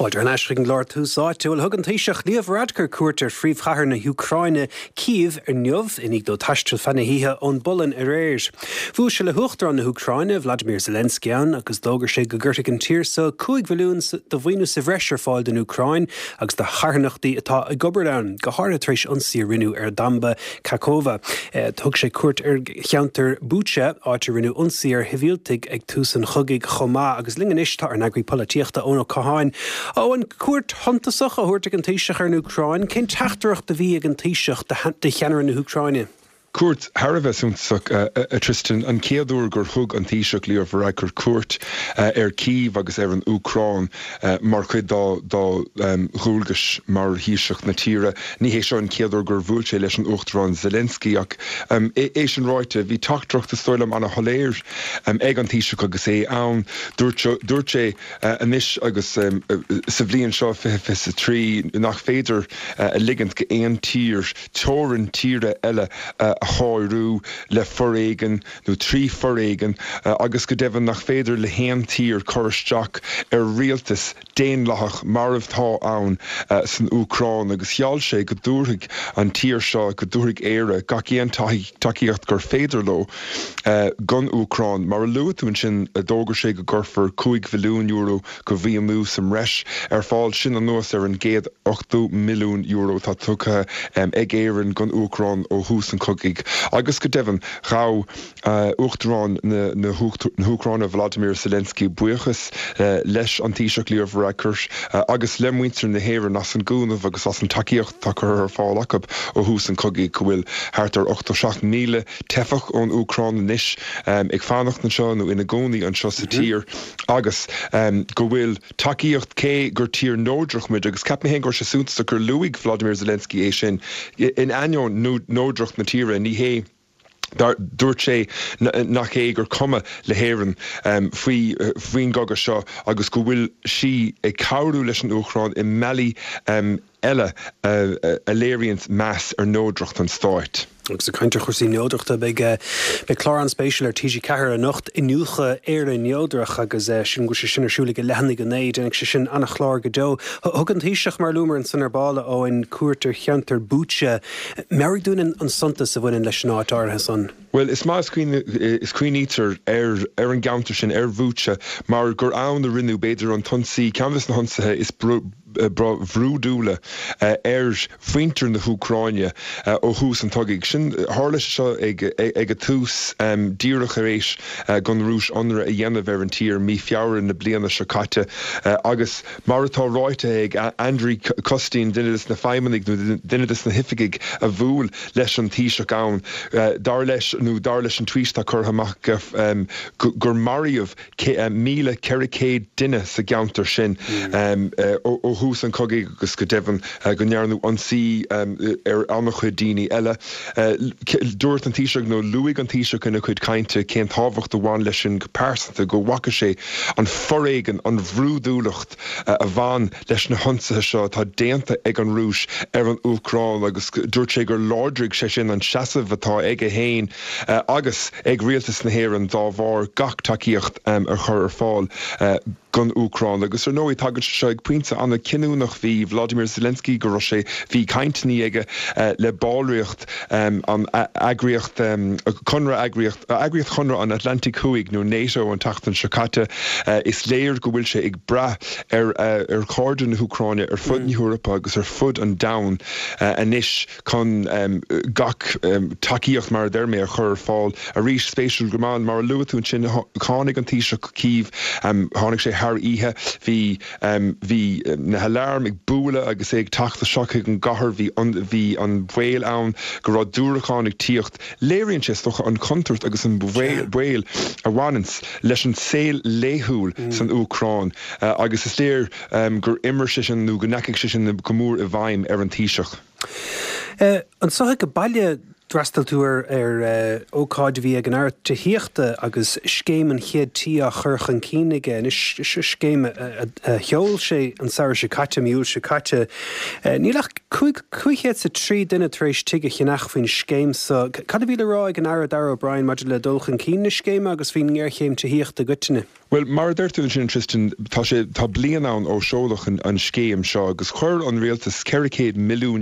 Fáilte thar n-ais chuig an gclár Tús Áite. Bhuel, thug an Taoiseach Leo Varadkar cuairt ar phríomhchathair na hÚcráine, Cív, inniu, i ndiaidh dó taisteal feadh na hoíche ón bPolainn aréir. Bhuail sé le hUachtarán na hÚcráine, Vladimir Zelensky ann agus d'fhógair sé go gcuirfidh an tír so 5 bhilliún de mhaoiniú sa bhreis ar fáil don Úcráin agus do charthanachtaí atá ag obair ann, go háirithe tar éis ionsaí a rinneadh ar Dhamba Kakhovka. Thug sé cuairt ar cheantar Bucha, áit a rinneadh ionsaí ar shibhialtaigh ag tús an chogaidh chomh maith. Agus linn anois tá ár n-eagraí polaitíochta, Eoin Ó Catháin. Eoin, cuairt shuntasach á thabhairt ag an Taoiseach ar an Úcráin. Cén teachtaireacht a bhí ag an Taoiseach do cheannaire na hÚcráine? Cuairt thar a bheith suntasach, a Tristan. An chéad uair gur thug an Taoiseach Leo Varadkar cuairt ar Kyiv agus ar an Úcráin mar chuid dá dhualgais mar Thaoiseach na tíre. Ní hé seo an chéad uair gur bhuail sé leis an Uachtarán Zelensky ach é sin ráite, bhí teachtaireacht, is dóigh liom, ana-shoiléir ag an Taoiseach agus é ann. Dúirt sé anois agus sa bhliain seo, 2023, nach féidir a ligint go aon tír teorainn tíre eile a shárú le foréigean nó trí foréigean agus go deimhin nach féidir le haon tír cur isteach ar rialtas daonlathach mar atá ann san Úcráin agus gheall sé go dtabharfaidh an tír seo, go dtabharfaidh Éire gach aon tacaíocht gur féidir leo don Úcráin. Mar a luaigh tú ansin, d'fhógair sé go gcuirfear €5 bhilliún de mhaoiniú sa mbreis ar fáil, sin anuas ar an €180 milliún atá tugtha ag Éirinn don Úcráin ó thús an chogaidh agus go deimhin ghabh Uachtarán na hÚcráine Volodymyr Zelensky buíochas leis an Taoiseach Leo Varadkar agus le muintir na hÉireann as an gcúnamh agus as an tacaíocht atá curtha ar fáil acu ó thús an chogaidh, go bhfuil thart ar 87,000 teifeach ón Úcráin anois ag fanacht anseo nó ina gcónaí anseo sa tír agus go bhfuil tacaíocht cé gur tír neodrach muid agus ceapaim féin go raibh sé suntasach gur luaigh Volodymyr Zelensky é sin in ainneoin neodracht na tíre ní hé Dúirt sé nach é gur cuma le hÉirinn faoi faoin gcogadh seo agus go bhfuil sí ag cabhrú leis an Úcráin i mbealaí eile a léiríonns meas ar neodracht an stáit. Agus ag caint ar chúrsaí neodrachta, beidh beidh clár an-spéisiúil ar TG4 anocht, Iniúchadh Éire Neodrach, agus sílim go bhfuil sé sin ar siúl ag a leath i ndiaidh a 9, déanfaidh sé sin an-chlár go deo. Thug an Taoiseach, mar a luamar ansan ar ball, a Eoin, cuairt ar cheantar Bucha. Meabhraigh dúinn an suntas a bhaineann leis an áit áirithe san. Bhuel, is maith is cuimhnítear ar an gceantar sin, ar Bhucha, mar gur ann a rinneadh, b'fhéidir, an t-ionsaí, ceann de na hionsaithe is brúidiúla ar mhuintir na hÚcráine ó thús an chogaidh. Sin, tharla sé seo ag ag a tús, díreach tar éis don Rúis ionradh a dhéanamh ar an tír mí Feabhra na bliana seo caite agus, Mar atá ráite ag Andriy Kostin, duine de na feidhmeannaigh nó duine de na hoifigigh a bhuail leis an Taoiseach ann, dar leis, nó dar leis an tweet atá curtha amach aige, gur maraíodh 1,400 duine sa gceantar sin ó thús an chogaidh agus go deimhin go ndearnadh ionsaí ar an-chuid daoine eile. Dúirt an Taoiseach, nó luaigh an Taoiseach ina chuid cainte cén tábhacht a bhain leis sin go pearsanta, go bhfaca sé an foréigean, an bhrúidiúlacht a bhain leis na hionsaithe seo atá déanta ag an Rúis ar an Úcráin agus dúirt sé gur láidrigh sé sin an seasamh atá aige féin agus ag Rialtas na hÉireann dá bharr gach tacaíocht a chur ar fáil don Úcráin. Agus ar ndóigh tagann sé seo ag pointe an-chinniúnach, bhí Volodymyr Zelensky go raibh sé, bhí cainteanna aige le ballraíocht an eagraíocht, Conradh Eagraíocht, Eagraíocht Chonradh an Atlantaigh Thuaidh nó NATO an tseachtain seo caite. Is léir go bhfuil sé ag brath ar ar chairde na hÚcráine ar fud na hEorpa agus ar fud an domhain anois chun gach tacaíocht, mar a deir mé, a chur ar fáil. Arís, spéisiúil go maith, mar a luaigh tú ansin, tháinig an Taoiseach go Cív, tháinig sé thar oíche, bhí, bhí na haláirm ag bualadh agus é ag teacht isteach chuig an gcathair, bhí, bhí an baol ann go raibh diúracáin ag tíocht. Léiríonn sé, is dócha, an chontúirt agus an baol a bhaineanns leis an saol laethúil san Úcráin agus is léir gur imir sé sin nó go ndeachaigh sé sin go mór i bhfeidhm ar an Taoiseach. Anseo ag baile, d'fhreastail tú ar ócáid a bhí ag an Aire Tithíochta agus Scéim an Chéad Tí á chur chun cinn aige. Anois, seo scéim a sheol sé an samhradh seo caite, mí Iúil seo caite. Níl ach 503 duine tar éis tigh a cheannach faoin scéim seo. Cad a bhí le rá ag an Aire Darragh O'Brien maidir le dul chun cinn na scéime agus faoin ngéarchéim tithíochta i gcoitinne? Bhuel, mar a deir tú ansin, Tristan, tá sé, tá bliain ann ó seoladh an scéim seo agus chuir an rialtas €400 milliún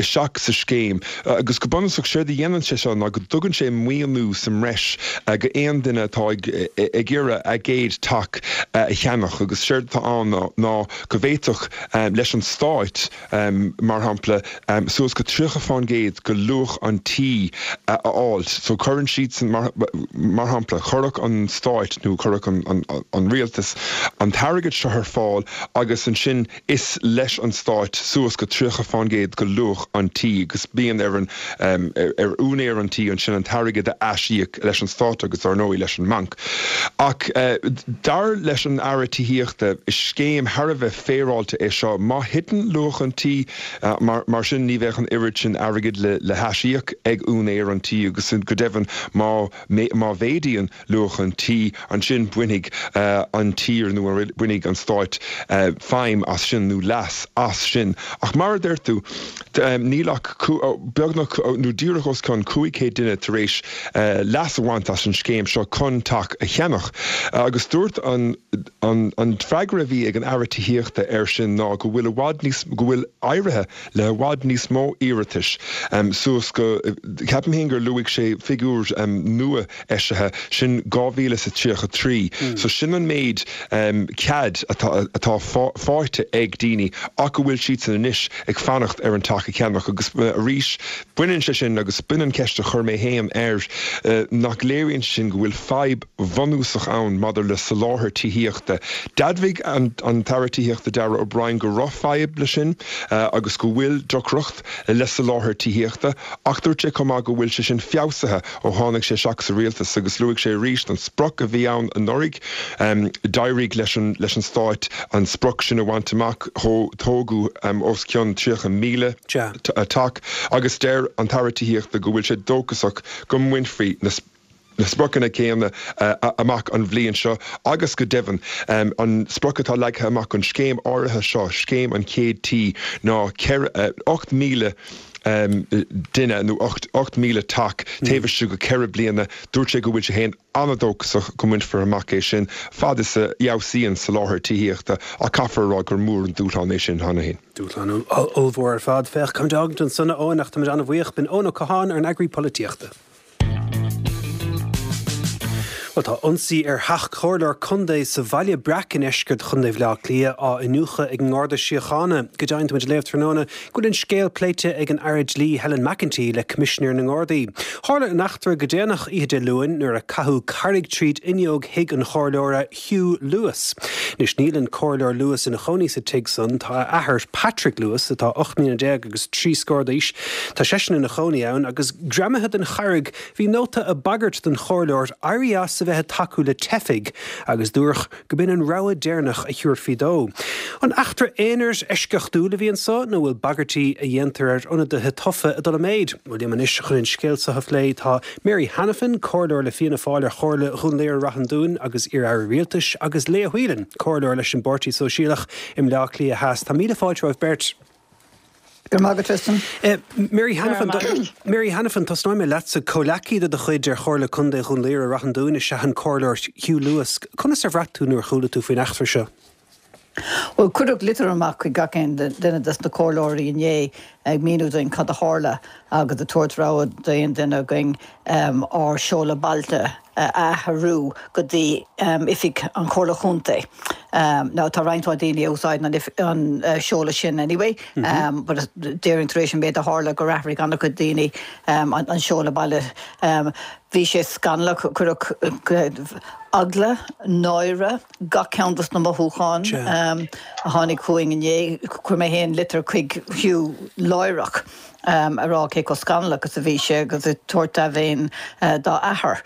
isteach sa scéim agus go bunúsach séard a dhéanann sé seo ná go dtugann sé maoiniú sa mbreis go aon duine atá ag ag iarraidh a gcéad teach a cheannach agus séard atá ann ná go bhféadfadh leis an stáit mar shampla, suas go 30% de luach an tí a fháil. So cuireann siadsan, mar shampla, chuirfeadh an stáit nó chuirfeadh an rialtas an t-airgead seo ar fáil agus ansin is leis an stáit suas go 30% de luach an tí agus bíonn ar an, ar úinéir an tí ansin an t-airgead a aisíoc leis an stát agus dar ndóigh leis an mbanc. Ach dar leis an Aire Tithíochta, is scéim thar a bheith féaráilte é seo. Má thiteann luach an tí, mar sin, ní bheadh an oiread sin airgid le haisíoc ag úinéir an tí agus go deimhin má mhéadaíonn luach an tí, ansin bainfidh an tír nó bainfidh an stáit feidhm as sin nó leas as sin. Ach mar a deir tú, níl ach beagnach nó díreach os cionn 500 duine tar éis leas a bhaint as an scéim seo chun teach a cheannach agus dúirt an An freagra a bhí ag an Aire Tithíochta air sin ná go bhfuil i bhfad níos, go bhfuil éirithe le i bhfad níos mó iarratais suas go, ceapaim féin gur luaigh sé figiúr nua eisithe, sin 2,033. So sin an méid cead atá, atá faighte ag daoine ach go bhfuil siadsan anois ag fanacht ar an teach a cheannach agus arís baineann sé sin agus b'in an ceist a chuir mé féin air, nach léiríonn sé sin go bhfuil fadhb bhunúsach ann maidir le soláthar tithíochta. D'admhaigh an tAire Tithíochta Darragh O'Brien go raibh fadhb leis sin agus go bhfuil deacracht le soláthar tithíochta ach dúirt sé chomh maith go bhfuil sé sin feabhsaithe ó tháinig sé isteach sa rialtas agus luaigh sé arís an sprioc a bhí ann anuraidh. D'éirigh leis an leis an Stáit an sprioc sin a bhaint amach, tógadh os cionn 30,000 teach agus deir an tAire Tithíochta go bhfuil sé dóchasach go mbainfí na na spriocanna céanna amach an bhliain seo agus go deimhin an sprioc atá leagtha amach don scéim áirithe seo, Scéim an Chéad Tí, ná 8,000 duine nó 8,000 teach taobh istigh de cheithre bliana. Dúirt sé go bhfuil sé féin an-dóchasach go mbainfear amach é sin fad is a fheabhsaíonn soláthar tithíochta ach caithfear a rá gur mór an dúshlán é sin cheana féin. Dúshlán ollmhór ar fad. Féach, caithfimid a fhágaint ansan, a Eoin, ach táimid an-bhuíoch. B'in Eoin Ó Catháin, ár n-eagraí polaitíochta. Bhuel, tá ionsaí ar theach comhairleoir contae sa Bhaile Breac i ndeisceart Chontae Bhaile Átha Cliath á iniúchadh ag an nGarda Síochána. Go deimhin, táimid ag léamh tráthnóna go bhfuil an scéal pléite ag an Aire Dlí Helen McEntee le Coimisinéir na nGardaí. Tharla an eachtra go déanach oíche Dé Luain nuair a caitheadh carraig tríd fhuinneog thigh an chomhairleora, Hugh Lewis. Anois níl an Comhairleoir Lewis ina chónaí sa tigh san, tá a athair, Patrick Lewis, atá 18 mbliana agus 3 scór d'aois, tá seisean ina chónaí ann, agus greamaithe den charraig bhí nóta ag bagairt don chomhairleoir éirí as a bheith ag tacú le teifigh agus dúradh go b'in an rabhadh deireanach a thabharfaí dó. An eachtra aonair eisceachtúil a bhí anso nó bhfuil bagairtí a dhéantar ar ionadaithe tofa ag dul i méid? Bhuel liom anois chun an scéal seo a phlé tá Mary Hanafin, Comhairleoir le Fianna Fáil ar Chomhairle Dhún Laoghaire-Rath an Dúin agus iar-aire rialtais, agus Leah Whelan, Comhairleoir leis an bPáirtí Sóisialach i mBleá Cliath Theas. Tá míle fáilte romhaibh beirt. Go raibh maith agat, Tristan. Mary Hanafin, Mary Hanafin, tosnóidh mé leatsa. Comhleacaí de do chuid ar Chomhairle Contae Dhún Laoghaire-Rath an Dúin is ea an Comhairleoir Hugh Lewis. Conas ar bhraith tú nuair a chuala tú faoin eachtra seo? Bhuel, cuireadh litir amach chuig gach aon duine des na comhairleoirí inné ag míniú dúinn cad a tharla agus ag tabhairt rabhadh d'aon duine againn ár seoladh bailte a athrú go dtí oifig an Chomhairle Chontae. Now tá roinnt mhaith daoine a úsáideann an seoladh sin anyway, but déarfainn tar éis an méid a tharla gur athraigh an-chuid daoine an seoladh baile. Bhí sé scannalach, cuireadh eagla, náire, gach ceann dos na mothúcháin a tháinig chugainn inné. Chuir mé féin litir chuig Hugh láithreach a rá cé chomh scannalach is a bhí sé agus ag tabhairt dea-mhéin dá athair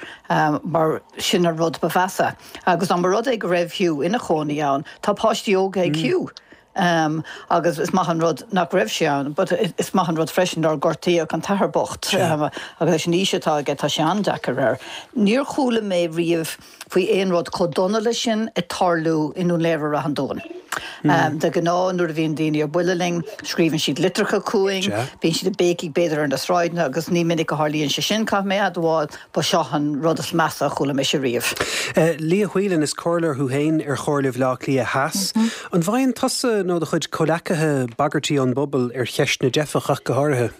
mar sin an rud ba mheasa. Agus dá mba rud é go raibh Hugh ina chónaí ann, tá páistí óga ag Hugh agus is maith an rud nach raibh sé ann but is maith an rud freisin nár gortaíodh an t-athair bocht agus leis an aois atá aige tá sé an-deacair air. Níor chuala mé riamh faoi aon rud chomh dona leis sin ag tarlú i nDún Laoghaire-Rath an Dúin. De ghnáth nuair a bhíonn daoine ar buile linn, scríobhann siad litreacha chugainn, bíonn siad ag béicigh b'fhéidir ar na sráideanna agus ní minic a tharlaíonn sé sin, caithfidh mé a admháil, ba seo an rud is measa a chuala mise riamh. Leah Whelan, is comhairleoir thú féin ar Chomhairle Bhaile Átha Cliath Theas. An bhfaigheann tusa nó do chuid comhleacaithe bagairtí ón bpobal ar cheist na dteifeach ach go háirithe?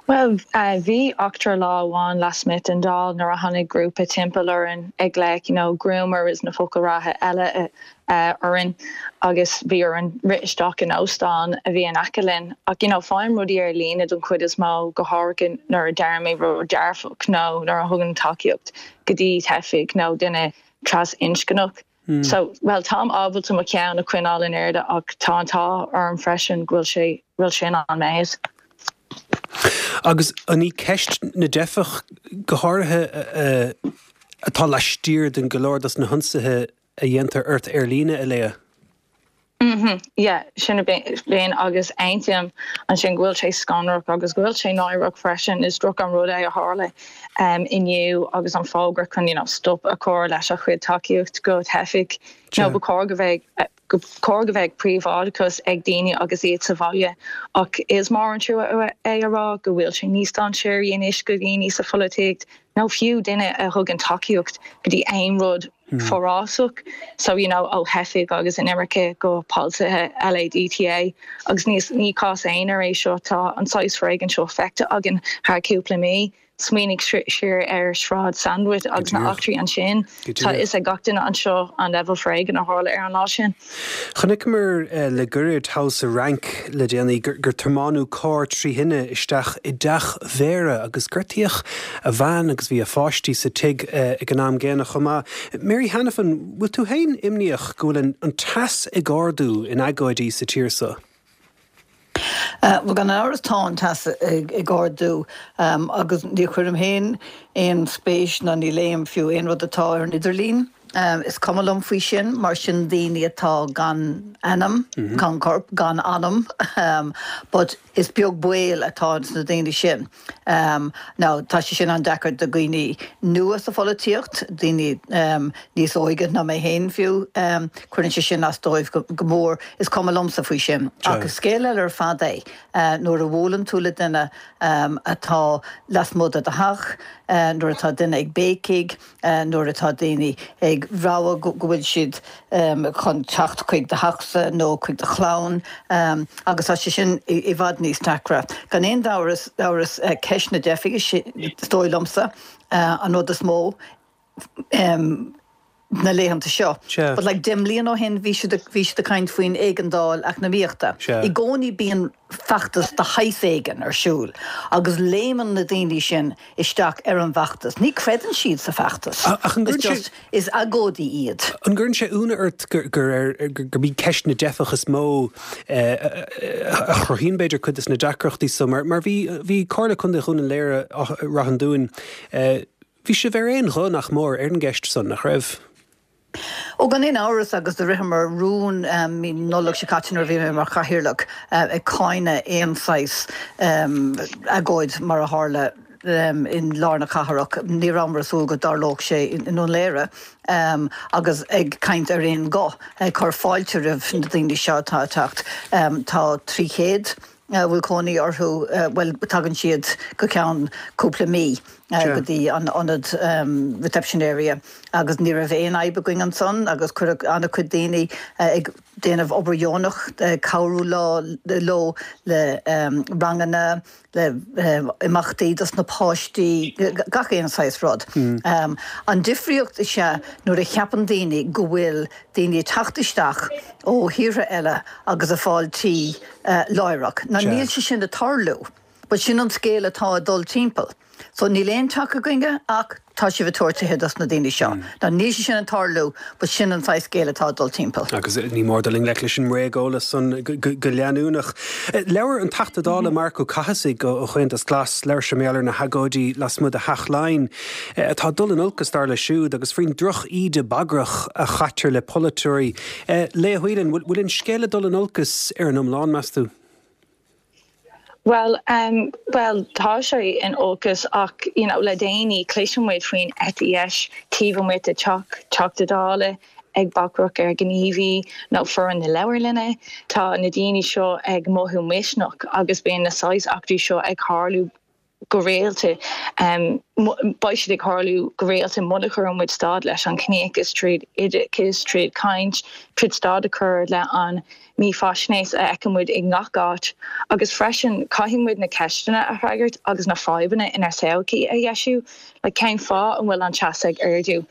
Bhuel, bhí eachtra lá amháin lasmuigh den Dáil nuair a tháinig grúpa timpeall orainn ag glaoch you know groomer is na focail reatha eile orainn agus bhí orainn rith isteach in óstán a bhí in aice linn. Ach you know faighim rudaí ar líne don chuid is mó, go háirithe nuair a deirim rud dearfach nó nuair a thugaim tacaíocht go dtí teifigh nó duine trasinscneach. So, bhuel, táim ábalta mo cheann a choinneáil in airde ach tá an t-ádh orm freisin go bhfuil sé, bhfuil sin an méid. Agus an í ceist na dteifeach go háirithe atá laistiar den go leor dos na hionsaithe a dhéantar ort ar líne, a Leah? Mhm, yeah, sin a bhíonn agus aontaím ansin go bhfuil sé scanrach agus go bhfuil sé náireach freisin. Is droch an rud é a tharla inniu agus an fógra chun you know stop a chur leis a chuid tacaíocht go teifigh. You know, ba chóir go bheadh go chóir go bheadh príobháideachas ag daoine agus iad sa bhaile ach is mór an trua é a rá go bhfuil sé níos dainséaraí anois go dhaoine sa pholaitíocht nó fiú duine a thugann tacaíocht go dtí aon rud forásach so you know ó theifigh agus inimirce go polasaithe LADTA agus ní ní cás aonair é seo tá an saghas foréigin seo feicthe againn thar cúpla mí. Smaoinigh siar ar Shráid Sandwith agus na heachtraí ansin. Tá a fhios ag gach duine anseo an leibhéal foréigin a tharla ar an lá sin. Chonaiceamar le gairid thall sa Fhrainc le déanaí gur tiomáineadh carr trí thine isteach i dteach mhéara agus gortaíodh a bhean agus bhí a pháistí sa tigh ag an am gcéanna chomh maith. Mary Hanafin, bhfuil tú féin imníoch go bhfuil an teas ag ardú in agóidí sa tír seo? Bhuel, gan amhras tá an teas ag ardú agus ní chuirim féin aon spéis ná ní léim fiú aon rud atá ar an idirlíon. Is cuma liom faoi sin mar sin daoine atá gan ainm, gan corp, gan anam but is beag baol atá ins na daoine sin. Now tá sé sin an-deacair do dhaoine nua sa pholaitíocht, daoine níos óige ná mé féin fiú, cuireann sé sin as dóibh go mór. Is cuma liomsa faoi sin. Ach is scéal eile ar fad é nuair a bhuaileann tú le duine atá lasmuigh de do theach, nuair atá duine ag béicigh, nuair atá daoine ag rabhadh go bhfuil siad chun teacht chuig do theachsa nó chuig do chlann agus tá sé sin i bhfad níos deacra. Gan aon amhras, ceist na dteifigh is dóigh liomsa an rud is mó na laethanta seo. But like 10 mbliana ó shin bhí siad bhí siad ag caint faoin éigeandáil eacnamaíochta. I gcónaí bíonn feachtas de shaghas éigin ar siúl agus léimeann na daoine sin isteach ar an bhfeachtas. Ní chreideann siad sa bhfeachtas. Ach an gcuireann sé. Is agóidí iad. An gcuireann sé ionadh ort gur ar gurb í ceist na dteifeach is mó a chruthaíonn b'fhéidir cuid de na deacrachtaí so mar mar bhí bhí Comhairle Contae Dhún Laoghaire Ráth an Dúin bhí sibh ar aon ghuth nach mór ar an gceist san, nach raibh? Ó, gan aon amhras, agus do ritheamar rún mí Nollag seo caite nuair a bhí mé mar chathaoirleach ag cáineadh aon saghas agóid mar a tharla i lár na cathrach. Ní rabhamar ag súil go dtarlódh sé i nDún Laoghaire agus ag caint ar aon ghuth, ag cur fáilte roimh na daoine seo atá ag teacht. Tá 300 a bhfuil cónaí orthu, bhuel, tagann siad go ceann cúpla mí go dtí an ionad reception area agus ní raibh aon fhadhb againn ansan agus cuireadh an-chuid daoine ag déanamh obair dheonach, ag cabhrú leo le ranganna, le imeachtaí dos na páistí, gach aon saghas rud. An difríocht is ea nuair a cheapann daoine go bhfuil daoine ag teacht isteach ó thíortha eile agus ag fáil tí láithreach. Now níl sé sin ag tarlú but sin an scéal atá ag dul timpeall. So níl aon teach againne ach tá sibh ag tabhairt tithe dos na daoine seo. Now níl sé sin ag tarlú but sin an saghas scéal atá ag dul timpeall. Agus ní mór dul i ngleic leis an mbréageolas san go leanúnach. Labhair an Teachta Dála Marc Ó Cathasaigh ó Chomhaontas Glas, labhair sé mar gheall ar na hagóidí lasmuigh de Theach Laighean atá ag dul in olcas dar leis siúd agus faoin droch-íde bagrach a chaitear le polaiteoirí. Leah Whelan, bhfuil an scéal ag dul in olcas ar an iomlán, meas tú? Bhuel, bhuel, tá sé in olcas ach, you know, le déanaí cloiseann muid faoin eite dheis taobh amuigh de teach Teachta Dála. ag bagrach ar ghníomhaí nó foireann na leabharlainne. Tá na daoine seo ag mothú misneach agus bíonn na saghas eachtraí seo ag tharlú go rialta. Beidh siad ag tharlú go rialta muna chuireann muid stad leis an chiníochas tríd oideachas, tríd caint, tríd stad a chur le an mífhaisnéis a fheiceann muid i ngach áit. Agus freisin caithfidh muid na ceisteanna a fhreagairt agus na fadhbanna inár sochaí a dheisiú. Like cén fáth an bhfuil an teas ag ardú?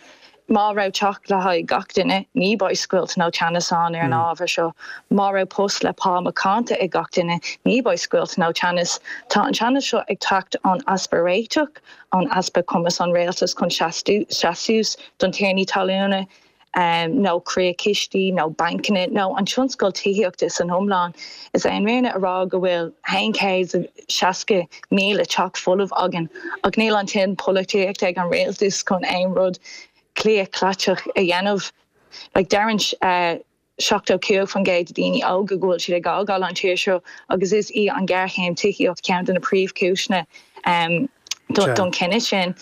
Má raibh teach le haghaidh gach duine, ní beidh scoilt nó teannas ann ar an ábhar seo. Má raibh post le pá macánta ag gach duine, ní beidh scoilt nó teannas. Tá an teannas seo ag teacht ón easpa réiteach, ón easpa cumas an rialtas chun seasamh suas don tiarnaí talúna, nó croíchistí, nó bancanna, nó an tionscal tithíochta san iomlán. Is é an fhírinne a rá go bhfuil 160,000 teach folamh againn, ach níl an toil polaitíochta ag an rialtas chun aon rud claochlaitheach a dhéanamh. Like, deireann 75% de daoine óga go bhfuil siad ag fhágáil an tír seo agus is í an ghéarchéim tithíocht ceann de na príomhchúiseanna don chinneadh sin.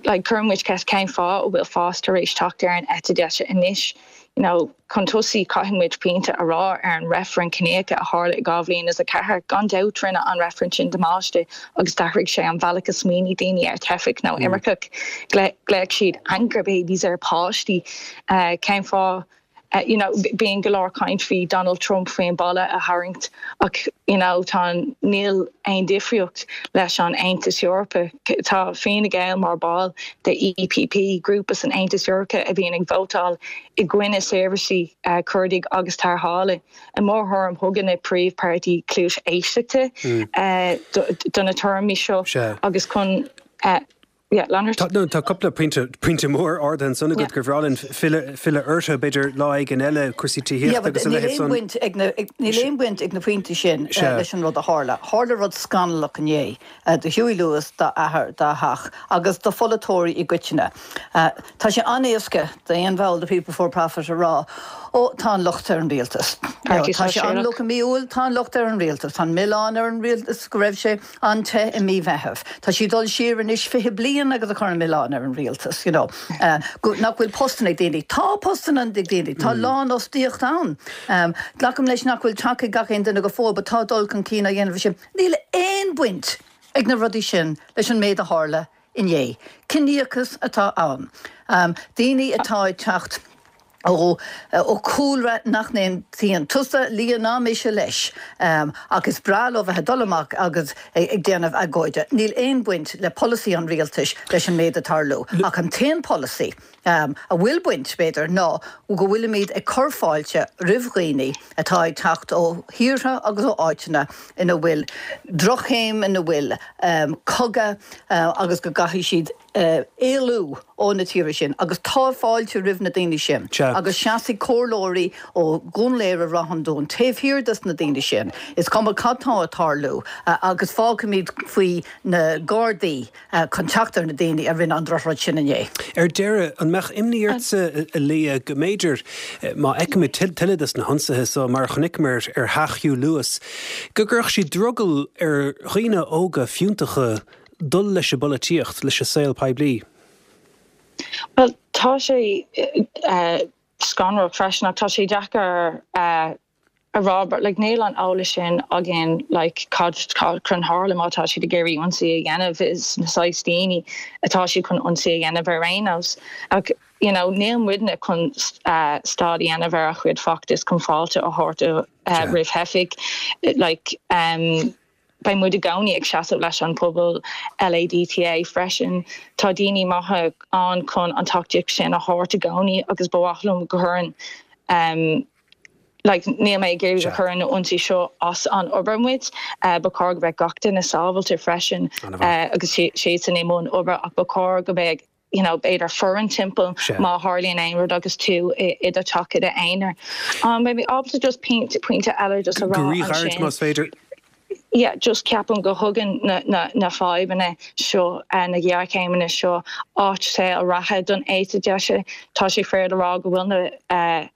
Like, cuireann muid ceist cén fáth a bhfuil fás tar éis teacht ar an eite deise anois? You know, chun tosaigh, caithfidh muid pointe a rá ar an reifreann ciníocha a tharla i 2004. Gan dabht rinne an reifreann sin damáiste agus d'athraigh sé an bhealach a smaoinigh daoine ar teifigh nó imirceach. Ghlaoigh siad anchor babies ar páistí. Cén fáth? You know, bíonn go leor caint faoi Donald Trump faoin balla a tharraingt ach you know, tá níl aon difríocht leis an Aontas Eorpach. Tá Fine Gael mar ball de EPP, grúpa san Aontas Eorpach a bhíonn ag vótáil i gcoinne seirbhísí cuardaigh agus tarrthála. I mo thuairim, thug na príomhpháirtí cluas éisteachta do na tuairimí seo agus chun Yeah, lean ort. Tá, no, tá cúpla pointe, pointe mór ardaithe ansan agat gur bhreá linn filleadh, filleadh orthu, b'fhéidir lá éigin eile, cúrsaí Yeah, tithíochta but agus a níl leithéid aon san. bhaint ag na, níl aon bhaint ag na pointí sin Sea. leis an rud a tharla. Tharla rud scannalach inné do Hughie Lewis, dá athair, dá theach agus do pholaiteoirí i gcoitinne. Tá sé an-éasca d'aon bhall de People Before Profit a rá, Ó, tá an locht ar an rialtas. Páirtí Tá sé Sóisialach. an-fhliuch i mí Iúil, tá an locht ar an rialtas. Tá an milleán ar an rialtas go raibh sé an-te i mí Mheithimh. Tá sí ag dul siar anois 20 bliain agus ag cur an milleán ar an rialtas, you know, go, nach bhfuil postanna ag daoine. Tá postanna ag daoine, tá lánfhostaíocht ann. Glacaim leis nach bhfuil teach ag gach aon duine go fóill but tá dul chun cinn á dhéanamh sin. Níl aon bhaint ag na rudaí sin leis an méid a tharla inné. Ciníochas atá ann. Daoine atá ag teacht ó chúlra nach n-aontaíonn tusa, Leah ná mise leis, ach is breá leo bheith ag dul amach agus ag déanamh agóide. Níl aon bhaint le polasaí an rialtais leis an méid ag tarlú. Ach an t-aon polasaí a bhfuil baint, b'fhéidir, ná go bhfuilimid ag cur fáilte roimh dhaoine atá ag teacht ó thíortha agus ó áiteanna ina bhfuil drochchéim, ina bhfuil cogadh agus go gcaithfidh siad éalú ó na tíortha sin agus tá fáilte roimh na daoine sin agus seasfaidh comhairleoirí ó Dhún Laoghaire Ráth an Dúin taobh thiar dos na daoine sin, is cuma cad tá ag tarlú agus fágfaimid faoi na Gardaí chun teacht ar na daoine a rinne an drochrud sin inné. Ar deireadh, an mbeadh imní ortsa, a Leah, go mb'fhéidir, má fheicimid tuilleadh de na hionsaithe so, mar a chonaiceamar ar theach Hugh Lewis, go gcuirfeadh siad drogall ar dhaoine óga fiúntacha dul leis an bpolaitíocht, leis an saol poiblí? Bhuel, tá sé scanrach freisin ach tá sé deacair a rá but like níl an eolas sin againn like cad cad chun tharla má tá siad ag iarraidh ionsaí a dhéanamh is na saghas daoine atá siad chun ionsaí a dhéanamh ar aon nós ach you know níl muidne chun stad a dhéanamh ar a chuid feachtas chun fáilte a thabhairt roimh theifigh like um Beidh muid i gcónaí ag seasamh leis an pobal LADTA freisin. Tá daoine maithe ann chun an tacaíocht sin a thabhairt i gcónaí agus ba mhaith liom go gcuireann like níl mé ag iarraidh go gcuireann na ionsaí seo as an obair muid. Ba chóir go mbeadh gach duine sábhailte freisin agus siadsan i mbun obair ach ba chóir go mbeadh you know, b'fhéidir foireann timpeall má tharlaíonn aon rud agus tú i do theach i d'aonar. Beidh mé ábalta just pointe, pointe eile just a rá Go ríghairid ansin. más féidir. Yeah, just ceapaim go thugann na, na, na fadhbanna seo, na géarchéimeanna seo áit saol reatha don eite deise. Tá sé fíor le rá go bhfuil na, eh,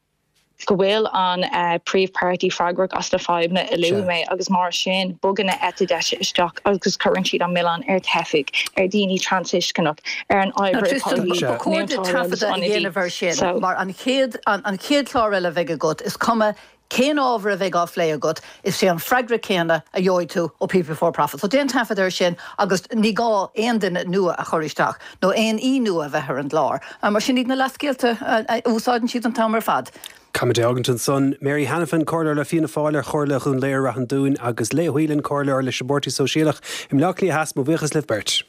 Go bhfuil an príomhpháirtí freagrach as na fadhbanna a luaigh mé agus mar sin bogann na eite deise isteach agus cuireann siad an milleán ar theifigh, ar daoine trasinscneach, ar an oibreoir Tristan, ba chóir duit taifeadadh a dhéanamh air sin mar an chéad an chéad chlár eile a bheidh agat is cuma Cén ábhar a bheidh á phlé agat, is é an freagra céanna a gheobhaidh tú ó People Before Profit. So déan taifead air sin agus ní gá aon duine nua a chur isteach nó aon aoi nua a bheith ar an gclár, mar sin iad na leathscéalta a úsáideann siad an t-am ar fad. Caithfimid é a fhágaint ansan. Mary Hanafin, Comhairleoir le Fianna Fáil ar Chomhairle Dhún Laoghaire-Rath an Dúin agus Leah Whelan, Comhairleoir leis an bPáirtí Sóisialach i mBleá Cliath Theas, mo bhuíochas libh beirt.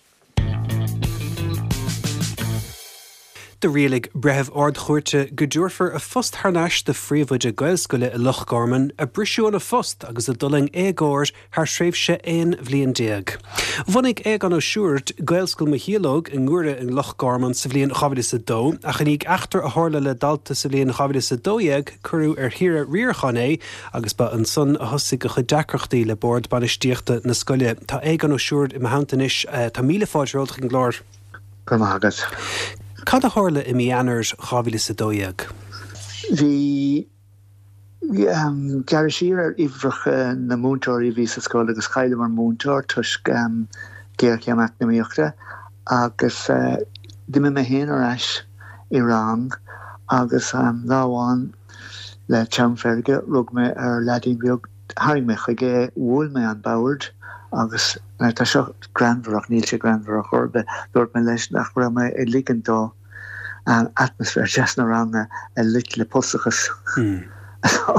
Do rialaigh Breitheamh Ard-Chúirte go dtabharfar a phost thar n-ais do phríomhoide Gaelscoile i Loch Garman a briseadh óna phost agus a d'fhulaing éagóir thar thréimhse 11 bhliain. Bhunaigh Aogán Ó Siúird Gaelscoil Mocheallóg i nGuaire i Loch Garman sa bhliain 2002 ach i ndiaidh eachtra a tharla le dalta sa bhliain 2012 cuireadh ar shaoire riaracháin é agus ba ansan a thosaigh a chuid deacrachtaí le bord bainistíochta na scoile. Tá Aogán Ó Siúird i mo theannta anois. Tá míle fáilte romhat chuig an gclár. Go raibh maith agat. Cad a tharla i mí Eanáir 2012? Bhí gearradh siar ar uimhreacha na múinteoirí a bhí sa scoil agus chailleamar múinteoir toisc géarchéim eacnamaíochta agus d'imigh mé féin ar ais i rang agus lá amháin Le teann feirge, rug mé ar leaidín beag, tharraing mé chuige é, bhuail mé an bord agus, now tá seo greannmhar ach níl sé greannmhar ar chor ar bith, dúirt mé leis nach raibh mé ag ligean dó atmaisféar deas na ranga a loit le pusachas. So,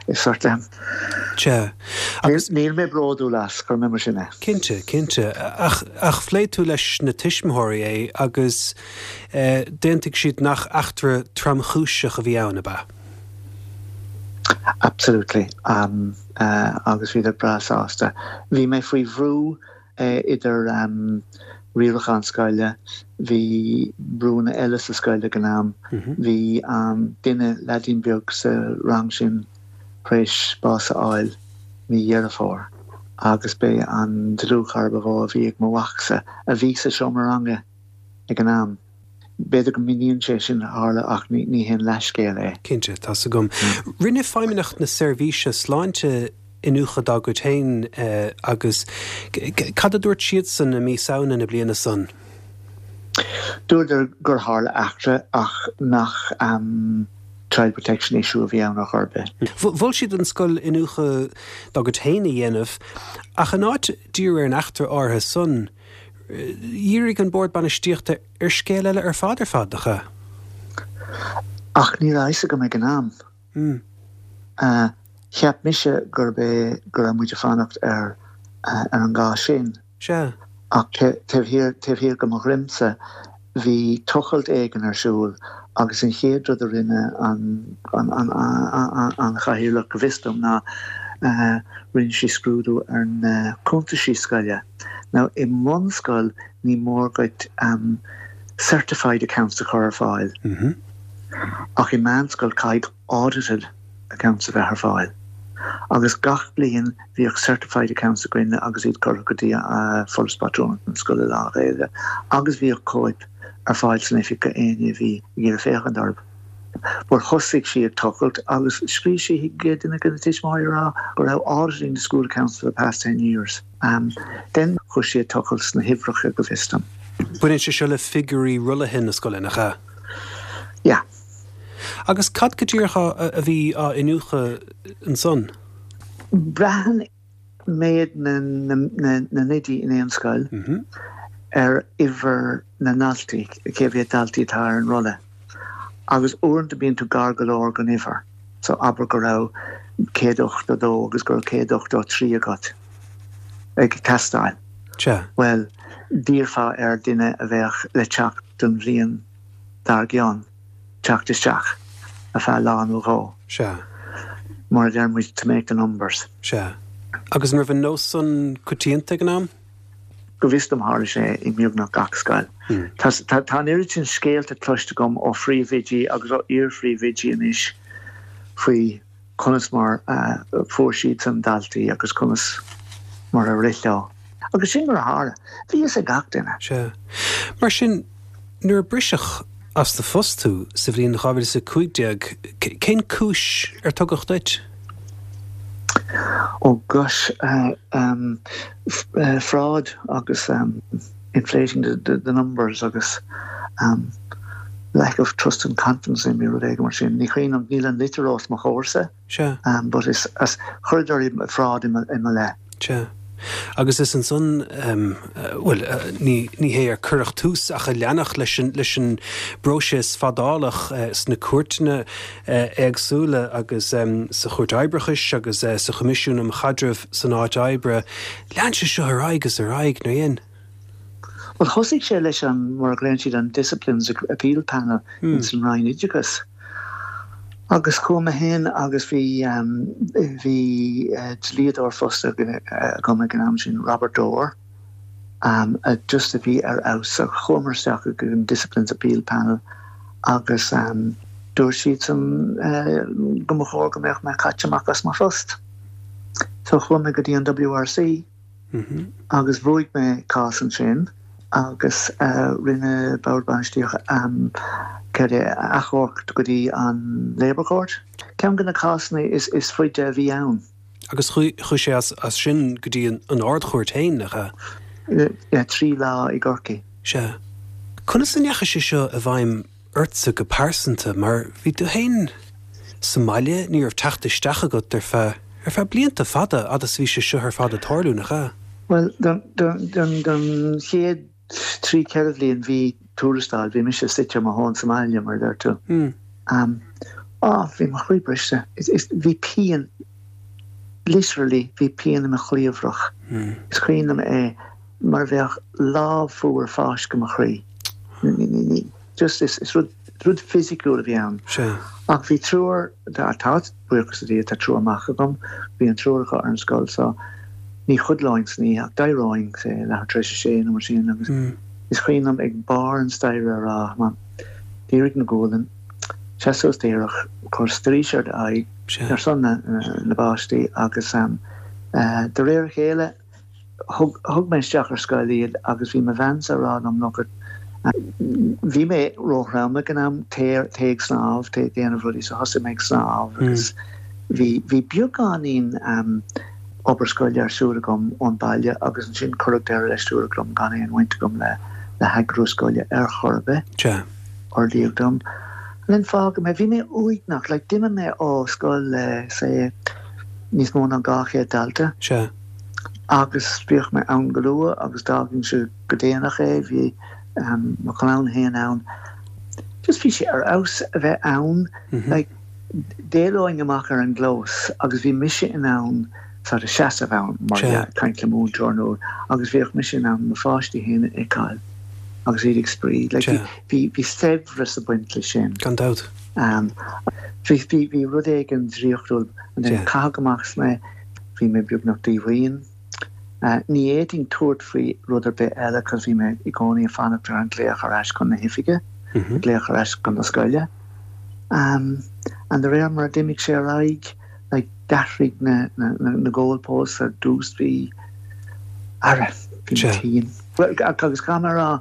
is sort of. Sea. Agus. Níl mé bródúil as, cuir mé mar sin é. Cinnte, cinnte. Ach, ach phléigh tú leis na tuismitheoirí é agus. D'aontaigh siad nach eachtra tromchúiseach a bhí ann, ab ea? Absolutely. Agus bhíodar breá sásta. Bhí mé faoi bhrú idir riarachán scoile, bhí brúnna eile sa scoil ag an am, bhí duine, leaidín beag sa rang sin tar éis bás a fháil mí Dheireadh Fómhair agus b'é an dlúthchara ba mhó a bhí ag mo mhacsa a bhí sa seomra ranga. ag an am. B'fhéidir go míníonn sé sin a tharla ach ní haon leathscéal é. Cinnte, tá's agam. Rinne Feidhmeannacht na Seirbhíse Sláinte iniúchadh dá gcuid féin agus cad a dúirt siadsan i mí Samhna na bliana san? Dúradar gur tharla eachtra ach nach child protection issue a bhí ann ar chor ar bith. Mhol siad don scoil iniúchadh dá gcuid féin a dhéanamh ach in áit díriú ar an eachtra áirithe san, Dhírigh an Bord Bainistíochta ar scéal eile ar fad ar fad, nach ea? Ach ní raibh a fhios agam ag an am. Cheap mise gurb é go raibh muid ag fanacht ar ar an gcás sin. Sea. Ach taobh thiar, taobh thiar de mo dhroimse, bhí tochailt éigin ar siúl agus an chéad rud a rinne an an chathaoirleach, go bhfios dom, ná rinne sí scrúdú ar na cuntaisí scoile. Now, i mbunscoil ní mór duit certified accounts a chur ar fáil ach i meánscoil caithfidh audited accounts a bheith ar fáil. Agus gach bliain bhíodh certified accounts againne agus iad curtha go dtí Foras Pátrúnachta na Scoile Lán-Ghaeilge agus bhíodh cóip ar fáil san oifig go éinne a bhí ag iarraidh féachaint orthu. But thosaigh sí ag tochailt agus scríobh sí chuig duine de na tuismitheoirí a rá go raibh auditing the school accounts for the past ten years. Then chuaigh sí ag tochailt sna huimhreacha go bhfios dom. Baineann sé seo le figiúirí rollaithe na scoile, nach ea? Yeah. Agus cad go díreach a bhí á iniúchadh ansan? Braitheann méid na n-oidí in aon scoil ar uimhir na ndaltaí, cé mhéad daltaí atá ar an rolla. Agus uaireanta bíonn tú gar go leor don uimhir. So abair go raibh 182 agus go raibh 183 agat ag teastáil. Sea. Bhuel, d'iarrfá ar duine a bheadh le teacht don bhliain dár gcionn teacht isteach ar feadh lá nó dhó. Sea. Mar a deir muid, to make the numbers. Sea. Agus an raibh an nós san coitianta ag an am? Go bhfios dom tharla sé i mbeagnach gach scoil. Tá tá an oiread sin scéalta cloiste agam ó phríomhoidí agus ó iar-phríomhoidí anois faoi conas mar a fuair siadsan daltaí agus conas mar a rith leo. Agus sin mar a tharla. Bhí fhios ag gach duine. Sea. Mar sin, nuair a briseadh. as do phost thú sa bhliain 2015. Cén cúis ar tugadh duit? Oh gosh, fraud agus inflating the numbers agus lack of trust and confidence in me, rud éigin mar sin. Ní cuimhin liom, níl an litir os mo chomhairsa. Sea. But is, chuireadar fraud i mo leith. Sea. Agus is ansan, bhuel, ní hé ar cuireadh tús ach a leanadh leis an, leis an bpróiseas fadálach sna cúirteanna éagsúla agus sa Chúirt Oibreachais agus sa Choimisiún um Chaidreamh san Áit Oibre. Lean sé seo ar aghaidh is ar aghaidh, nár dhein? Bhuel, thosaigh sé leis an, mar a ghlaonn siad, an Disciplines Appeal Panel ins an Roinn Oideachais. Agus chuaigh mé féin agus bhí, bhí dlíodóir fostaithe agam ag an am sin, Robert Dore, a just a bhí ar fheabhas. So chuamar isteach ag an Disciplines Appeal Panel agus dúirt siadsan go mba chóir go mbeadh mé caite amach as mo phost. So chuaigh mé go dtí an WRC. Agus bhuaigh mé cás ansin agus rinne Bord Bainistíochta céard é, achomharc go dtí an Labour Court. Ceann de na cásanna is faide a bhí ann. Agus chuaigh sé as sin go dtí an Ard-Chúirt féin, nach ea? Yeah, 3 lá i gCorcaigh. Sea. Conas a ndeachaigh sé seo i bhfeidhm ortsa go pearsanta, mar bhí tú féin sa mbaile, ní raibh teacht isteach agat ar feadh, ar feadh blianta fada, fhad is a bhí sé seo ar fad ag tarlú, nach ea? Bhuel, don, don, don, don chéad 3, 4 bhliain bhí tuarastal, bhí mise suite ar mo thóin sa mbaile, mar a deir tú. Um, á, bhí mo chroí briste. Is, is, bhí pian, literally, bhí pian i mo chliabhrach. Is cuimhin liom é mar a bheadh lámh fuar fáiscthe mo chroí. Ní, ní, ní, Just is rud rud fisiciúil a bhí ann. Sea. Ach bhí triúr, tá, buíochas le Dia, tá triúr mac agam, bhí an triúr acu ar an scoil so ní chodlóinn san oíche ach d'éireoinn, say, leathuair tar éis a sé nó mar sin agus is cuimhin liom ag barr an staighre a rá, Mam, dírig na gualainn, seas suas díreach, cuir straois ar d'aghaidh ar son na na bpáistí agus de réir a chéile, Thug, thug mé isteach ar scoil iad agus bhí mo bheansa ag rá liom look it, bhí mé róthrom ag an am, téigh, téigh ag snámh, téigh ag déanamh rudaí, so thosaigh mé ag snámh agus bhí, bhí beagáinín obair scoile ar siúl agam ón baile agus ansin cuireadh deireadh leis, dúradh liom gan aon bhaint agam le, le heagrú scoile ar chor ar bith. Sea. Ordaíodh dom. And then fágadh mé, bhí mé uaigneach, like d'imigh mé ó scoil le, say, níos mó ná 200 dalta. Sea. Agus bhíodh mé ann go luath agus d'fhágainnse go déanach é, bhí mo chlann féin ann. Just bhí sé ar fheabhas a bheith ann, like d'éalóinn amach ar an gclós agus bhí mise in ann sort of seasamh ann mar dhea, ag caint le múinteoir nó agus bhíodh mise in ann mo pháistí féin a fheiceáil agus iad ag spraoi. Like bhí bhí saibhreas ag baint leis sin. Gan dabht. Bhí bhí bhí rud éigin draíochtúil and then caitheadh amach as mé. Bhí mé beagnach díomhaoin. Ní fhéadfainn tabhairt faoi rud ar bith eile cos bhí mé i gcónaí ag fanacht ar an glaoch ar ais chun na hoifige, glaoch ar ais chun na scoile. And de réir mar a d'imigh sé ar aghaidh, like d'athraigh na na goalposts ar dtús bhí, ara, bhí mé tinn. Agus caithfidh mé a rá,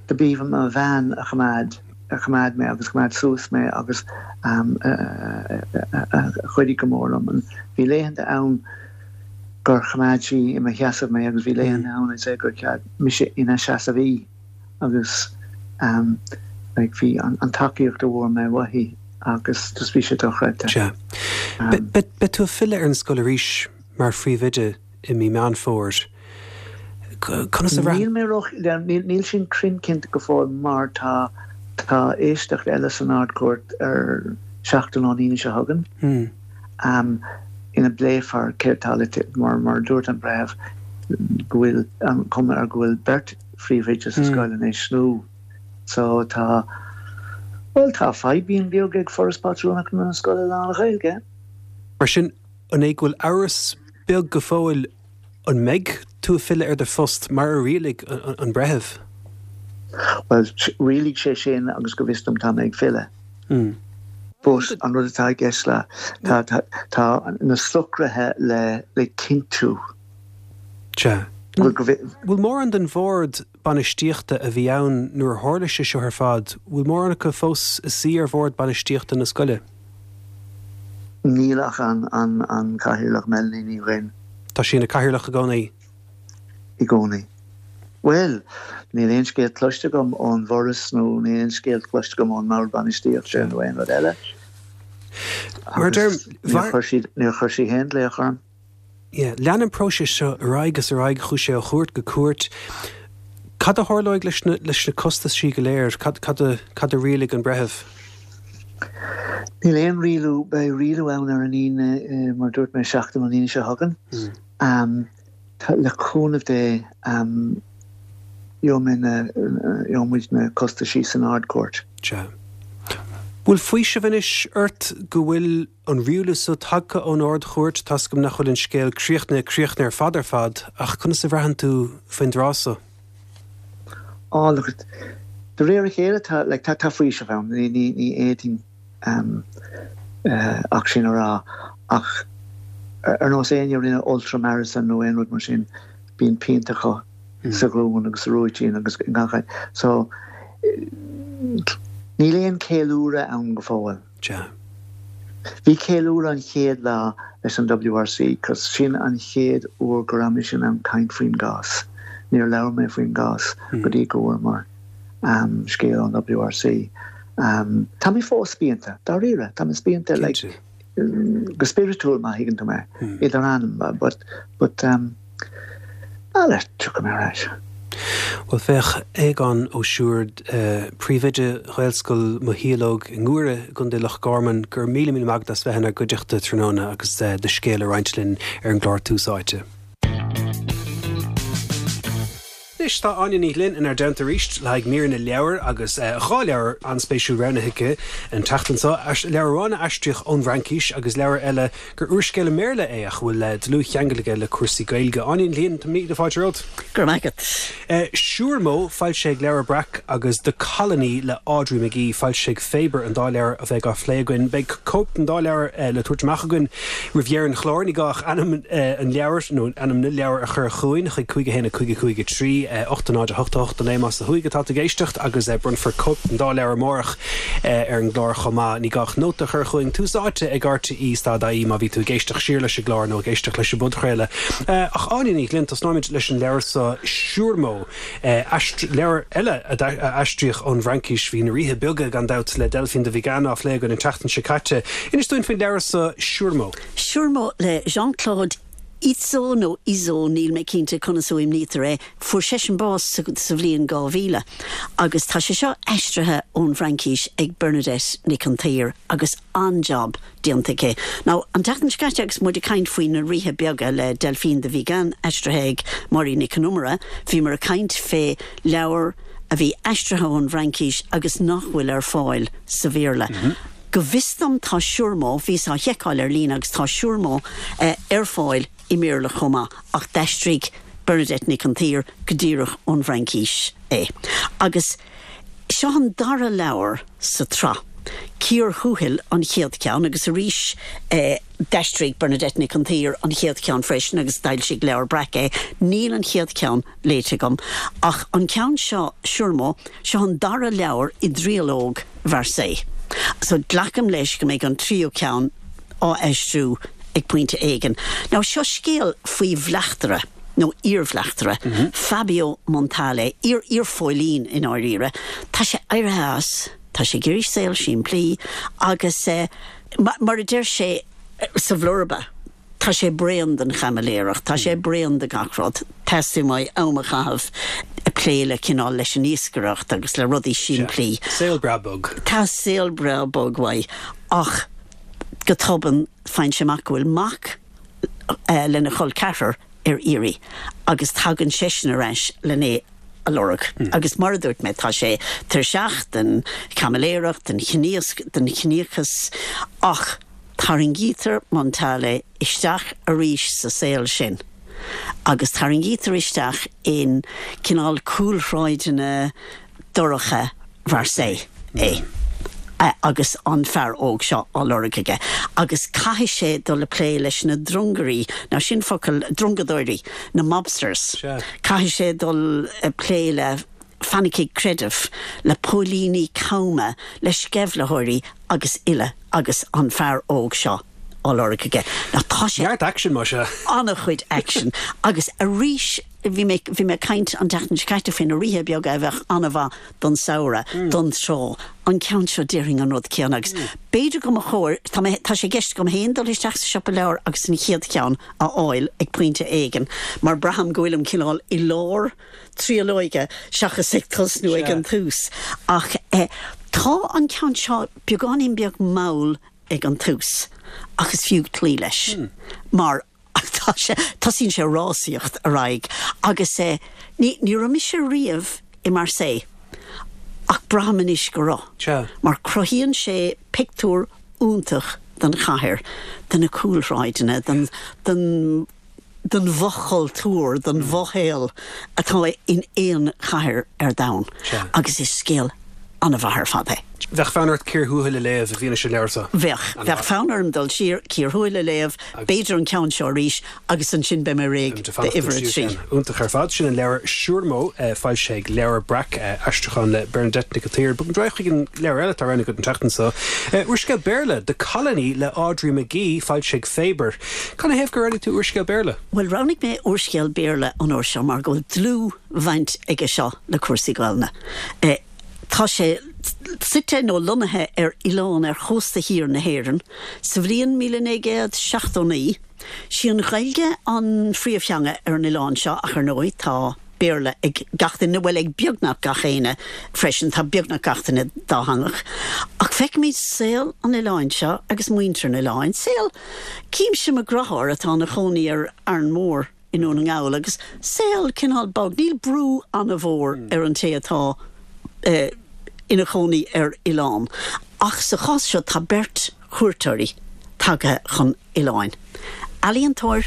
do b'í mo bhean a choimeád. a choimeád mé agus choimeád suas mé agus a chuidigh go mór liom. Bhí laethanta ann gur choimeád sí i mo sheasamh mé agus bhí laethanta ann I'd say gur choimeád mise ina seasamh í agus like bhí an tacaíocht a bhfuair mé uaithi agus just bhí sé dochreidte. Sea. Beidh tú ag filleadh ar an scoil arís mar phríomhoide i mí Meán Fómhair. Conas a bhraith. Níl mé ró, níl sin cruinn cinnte go fóill mar tá, tá éisteacht eile san Ard-Chúirt ar seachtain ón Aoine seo chugainn ina bpléifear céard tá le, mar, mar a dúirt an breitheamh go bhfuil an chuma air go bhfuil beirt phríomhoide sa scoil anois nó so tá, bhuel tá fadhbín beag ag Foras Pátrúnachta na Scoile Lán-Ghaeilge. Mar sin, an é go bhfuil amhras beag go fóill an mbeidh tú ag filleadh ar do phost mar a rialaigh an breitheamh? Bhuel, rialaigh sé sin agus go bhfios dom tá mé ag filleadh. But an rud atá i gceist le, tá, tá, tá na socruithe le, le cinntiú. Sea. Bhfuil mórán den bhord bainistíochta a bhí ann nuair a tharla sé seo ar fad, bhfuil mórán acu fós ina suí ar bhord bainistíochta na scoile? Níl ach an an Cathaoirleach Melanie Ní Dhuinn. Tá sí ina Cathaoirleach i gcónaí? I gcónaí. Bhuel, níl aon scéal cloiste agam ón bhForas nó níl aon scéal cloiste agam ón mBord Bainistíochta nó aon rud eile. Mar a deirim, níor chuir siad, níor chuir sí féin glaoch orm. Yeah. Lean an próiseas seo ar aghaidh agus ar aghaidh, chuaigh sé ó chúirt go cúirt. Cad a tharlóidh leis na, leis na costaisí go léir? Cad, cad a, cad a rialaigh an breitheamh? Níl aon rialú, beidh rialú ann ar an Aoine, mar a dúirt mé, seachtain ón Aoine seo chugainn. Tá, le cúnamh Dé, gheobhaidh mé na, gheobhaidh muid na costaisí san Ard-Chúirt. Sea. Bhfuil faoiseamh anois ort go bhfuil an rialú so tagtha ón Ard-Chúirt, tá's agam nach bhfuil an scéal críochnaithe críochnaithe ar fad ar fad, ach conas a bhraitheann tú faoin dtráth so? Á, look, de réir a chéile tá, like, tá, tá faoiseamh ann, ní, ní, ní fhéadfainn ehm eh ach sin a rá, ach ar nós éinne a rinne ultra marathon nó aon rud mar sin, bíonn pianta acu sa ghlúin agus sa rúitín agus i ngach áit. So, níl aon ceiliúradh ann go fóill. Sea. Bhí ceiliúradh an chéad lá leis an WRC cos sin an chéad uair go raibh mise in ann caint faoin gcás. Níor labhair mé faoin gcás go dtí go bhfuaireamar scéal ón WRC. Tá mé fós spíonta, dáiríre, tá mé spíonta like go spioradúil má thuigeann tú mé, idir anam but but Bhuel, tiocfaidh mé ar ais. Bhuel, féach, Aogán Ó Siúird, Príomhoide Ghaelscoil Moshíológ i nGuaire i gContae Loch Garman, go raibh míle míle maith agat as bheith inár gcuideachta tráthnóna agus do scéal a roinnt linn ar an gclár Tús Áite. Anois tá Áine Ní Ghlinn inár dteannta arís le haghaidh mír na leabhar agus 2 leabhar an-spéisiúil roghnaithe aici an tseachtain seo, leabhar amháin a aistríodh ón bhFraincis agus leabhar eile gur úrscéal i mBéarla é ach a bhfuil dlúthcheangal aige le cúrsaí Gaeilge. Áine Ní Ghlinn, tá míle fáilte romhat. Go raibh maith agat. Siúrmó, foilsithe ag Leabhar Breac, agus The Colony le Audrey McGee, foilsithe ag Faber, an dá leabhar a bheidh á phlé againn. Beidh cóip den dá leabhar le tabhairt amach againn Roimh dheireadh an chláir, ní gá ach ainm an leabhair nó ainm na leabhar a chur chugainn chuig 5 1 5 5 3 8 0 8 8 9 más ó thuaidh atá tú ag éisteacht agus bronnfar cóip den dá leabhar amárach ar an gclár chomh maith. Ní gá ach nóta a chur chugainn, Tús Áite ag RTÉ stad IE má bhí tú ag éisteacht siar leis an gclár nó ag éisteacht leis an bpodchraoladh. Ach Áine Ní Ghlinn, tosnóimid leis an leabhar seo, Siúrmó. Leabhar eile a aistríodh ón bhFraincis, bhí Na Ríthe Beaga, gan dabht, le Delphine de Vigan á phlé againn an tseachtain seo caite. Inis dúinn faoin leabhar seo, Siúrmó. Siúrmó le Jean-Claude Izzo nó Izo, níl mé cinnte conas a fhuaimnítear é, fuair seisean bás sa bhliain 2000 agus tá sé seo aistrithe ón bhFraincis ag Bernadette Nic an tSaoir agus an-jab déanta aici. Now, an tseachtain seo caite agus muid ag caint faoi Na Ríthe Beaga le Delphine de Vigan, aistrithe ag Máirín Nic Con Iomaire, bhíomar ag caint fé leabhar a bhí aistrithe ón bhFraincis agus nach bhfuil ar fáil sa Bhéarla. Go bhfios dom tá Siúrmó, bhíos á sheiceáil ar líne agus tá Siúrmó ar fáil i mBéarla chomh maith ach d'aistrigh Bernadette Nic an tSaoir go díreach ón bhFraincis é. Agus. Seo an dara leabhar sa tsraith. Cíor Thuathail an chéad cheann agus arís d'aistrigh Bernadette Nic an tSaoir an chéad cheann freisin agus d'fhoilsigh Leabhar Breac é. Níl an chéad cheann léite agam ach an ceann seo, Siúrmó, seo an dara leabhar i dtriológ Mharseille. So glacaim leis go mbeidh an tríú ceann á aistriú ag pointe éigin. Now seo scéal faoi bhleachtaire. nó iarbhleachtaire, Fabio Montale, iar iarphóilín i ndáiríre. Tá sé éirithe as, tá sé ag iarraidh saol simplí agus mar a deir sé sa bhlurba, tá sé bréan den chaimiléireacht, tá sé bréan de gach rud, teastaíonn uaidh am a chaitheamh ag plé le cineál leis an iascaireacht agus le rudaí simplí. Saol breá bog. Tá saol breá bog uaidh ach go tobann faigheann sé amach go bhfuil mac lena chol ceathrar ar iarraidh agus tagann seisean ar ais len é a lorg. Agus mar a dúirt mé, tá sé tuirseach den chaimiléireacht, den den chiníochas ach tarraingítear Montale isteach arís sa saol sin agus tarraingítear isteach in cineál cúlshráideanna dorcha Mharseille é. Agus an fear óg seo á lorg aige. Agus caithfidh sé dul a plé leis na drongairí, now sin focal, drongadóirí, na mobsters. Caithfidh sé dul a plé le fanaicigh creidimh, le póilíní cama, le sceimhlitheoirí agus uile agus an fear óg seo á lorg aige. Now tá sé. Neart aicsin, más ea. An-chuid aicsin. Agus arís, bhí mé, bhí mé ag caint an tseachtain seo caite faoi na Ríthe Beaga a bheadh an-mhaith don samhradh, don trá. An ceann seo, déarfainn an rud céanna agus b'fhéidir go mba chóir, tá mé, tá sé i gceist agam féin dul isteach sa siopa leabhar agus an chéad cheann a fháil ag pointe éigin mar braithim go bhfuilim cineál i lár triolóige seachas ag tosnú ag an tús. Ach tá an ceann seo beagáinín beag mall ag an tús ach is fiú cloí leis mar tá sé, tosaíonn sé ag rásaíocht ar aghaidh agus ní, ní raibh mise riamh i Marseille ach braithim anois go raibh mar cruthaíonn sé pictiúr iontach den chathair, de na cúlshráideanna, den, den, den bhfochultúr, den bhfoshaol atá in aon chathair ar domhan agus is scéal an-mhaith ar fad é. Bheadh fonn ort Cíor Thuathail a léamh i bhfianaise an leabhair seo? Bheadh. Bheadh fonn orm dul siar, Cíor Thuathail a léamh, b'fhéidir an ceann seo arís agus ansin beidh mé réidh d'uimhir a 3. Iontach ar fad. Sin an leabhar Siúrmó, foilsithe ag Leabhar Breac, aistriúchán le Bernadette Nic an tSaoir. Bogfaimid ar aghaidh chuig an leabhar eile atá roghnaithe agat an tseachtain seo. Úrscéal Béarla, The Colony le Audrey McGee, foilsithe ag Faber. Canathaobh gur roghnaigh tú úrscéal Béarla? Bhuel, roghnaigh mé úrscéal Béarla an uair seo mar go bhfuil dlúthbhaint aige seo le cúrsaí Gaelainne. Tá sé suite nó lonnaithe ar oileán ar chósta thiar na hÉireann sa bhliain 1979. Sí an Ghaeilge an phríomhtheanga ar an oileán seo ach ar ndóigh tá Béarla ag gach duine, bhuel ag beagnach gach éinne freisin, tá beagnach gach duine dátheangach. Ach feicimid saol an oileáin seo agus muintir an oileáin, saol Címse mo dheartháir atá ina chónaí ar Arann Mór i nDún na nGall agus saol cineál bog, níl brú an-mhór ar an té atá ina chónaí ar oileán. Ach sa chás seo tá beirt chuairteoirí tagtha chun oileáin. Ealaíontóir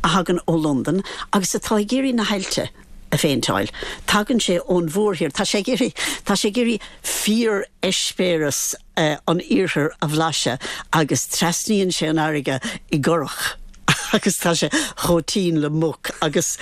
a thagann ó Londain agus atá ag iarraidh na haillte a phéinteáil. Tagann sé ón mhórthír, tá sé ag iarraidh, tá sé ag iarraidh fíor-eispéireas an iarthair a bhlaiseadh agus trasnaíonn sé an fharraige i gcurach agus tá sé chomh tinn le muc agus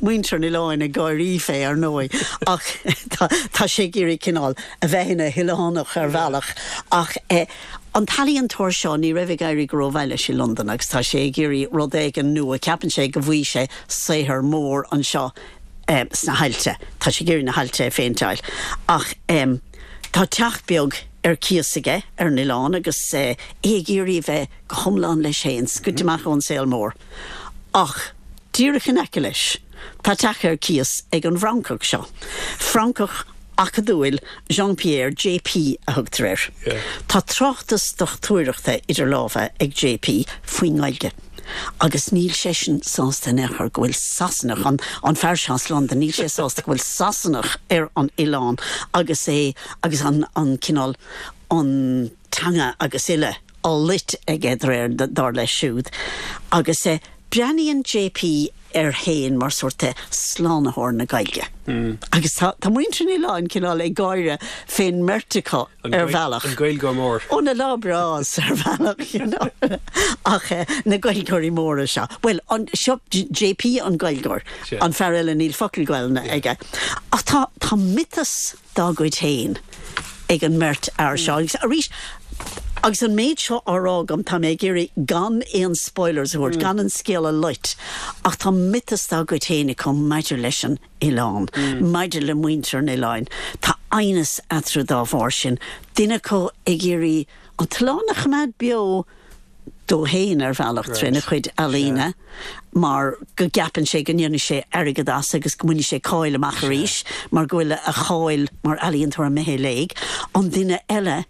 muintir an oileáin ag gáirí fé ar ndóigh ach tá sé ag iarraidh cineál a bheith ina hoileánach ar bhealach ach an t-ealaíontóir seo ní raibh ag éirí go rómhaith leis i Londain agus tá sé ag iarraidh rud éigin nua, ceapann sé go bhfaighidh sé saothar mór anseo sna haillte. Tá sé ag iarraidh na haillte a phéinteáil ach tá teach beag ar cíos aige ar an oileán agus é ag iarraidh a bheith go hiomlán leis féin, scoite amach ón saol mór. Ach díreach in aice leis tá teach ar cíos ag an bhFrancach seo, Francach acadúil, Jean-Pierre, JP a thugtar air. Tá tráchtas dochtúireachta idir lámha ag JP faoin nGaeilge agus níl seisean sásta in aon chor go bhfuil Sasanach, an an fear seo as Londain, níl sé sásta go bhfuil Sasanach ar an oileán agus é agus an an cineál an teanga agus uile á loit aige de réir dar leis siúd agus breathnaíonn JP air féin mar sórt de slánaitheoir na Gaeilge. Agus tá tá muintir an oileáin cineál ag gáire fén mbeirt acu ar bhealach. An Gaeilgeoir mór. Ó na lá breás ar bhealach you know. Ach na Gaeilgeoirí móra seo. Bhuel an seo JP an Gaeilgeoir. An fear eile níl focal Gaelainne aige. Ach tá tá miotas dá gcuid féin ag an mbeirt fhear seo. Agus arís, agus an méid seo á rá agam, tá mé ag iarraidh gan aon spoilers a thabhairt, gan an scéal a loit, ach tá miotas dá gcuid féin acu maidir leis an oileán, maidir le muintir an oileáin. Tá aighneas eatarthu dá bharr sin, duine acu ag iarraidh an t-oileán a choimeád beo, dó féin ar bhealach trína chuid ealaíne mar go gceapann sé go ndéanfaidh sé airgead as agus go mbainfidh sé cáil amach arís mar go bhfuil a cháil mar ealaíontóir imithe i léig, an duine eile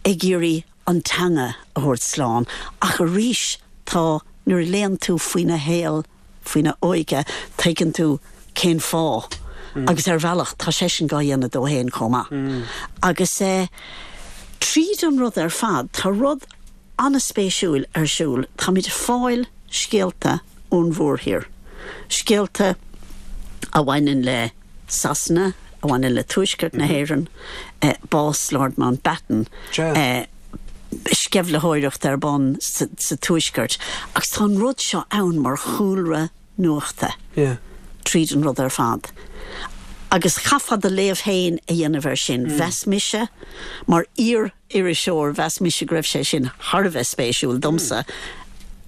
ag iarraidh an teanga a thabhairt slán ach arís tá nuair a léann tú faoina shaol faoina óige, tuigeann tú cén fáth agus ar bhealach tá seisean dhá dhéanamh dó fhéin chomh maith. Agus tríd an rud ar fad tá rud an-spéisiúil ar siúl, táimid ag fáil scéalta ón mhórthír, scéalta a bhaineann le Sasana. a bhaineann le Tuaisceart na hÉireann, bás Lord Mountbatten, sceimhlitheoireacht ar bun sa Tuaisceart agus tá an rud seo ann mar chúlra nuachta tríd an rud ar fad. Agus chaithfeá do léamh féin a dhéanamh air sin. Mheas mise, mar iar-iriseoir, mheas mise go raibh sé sin thar a bheith spéisiúil domsa.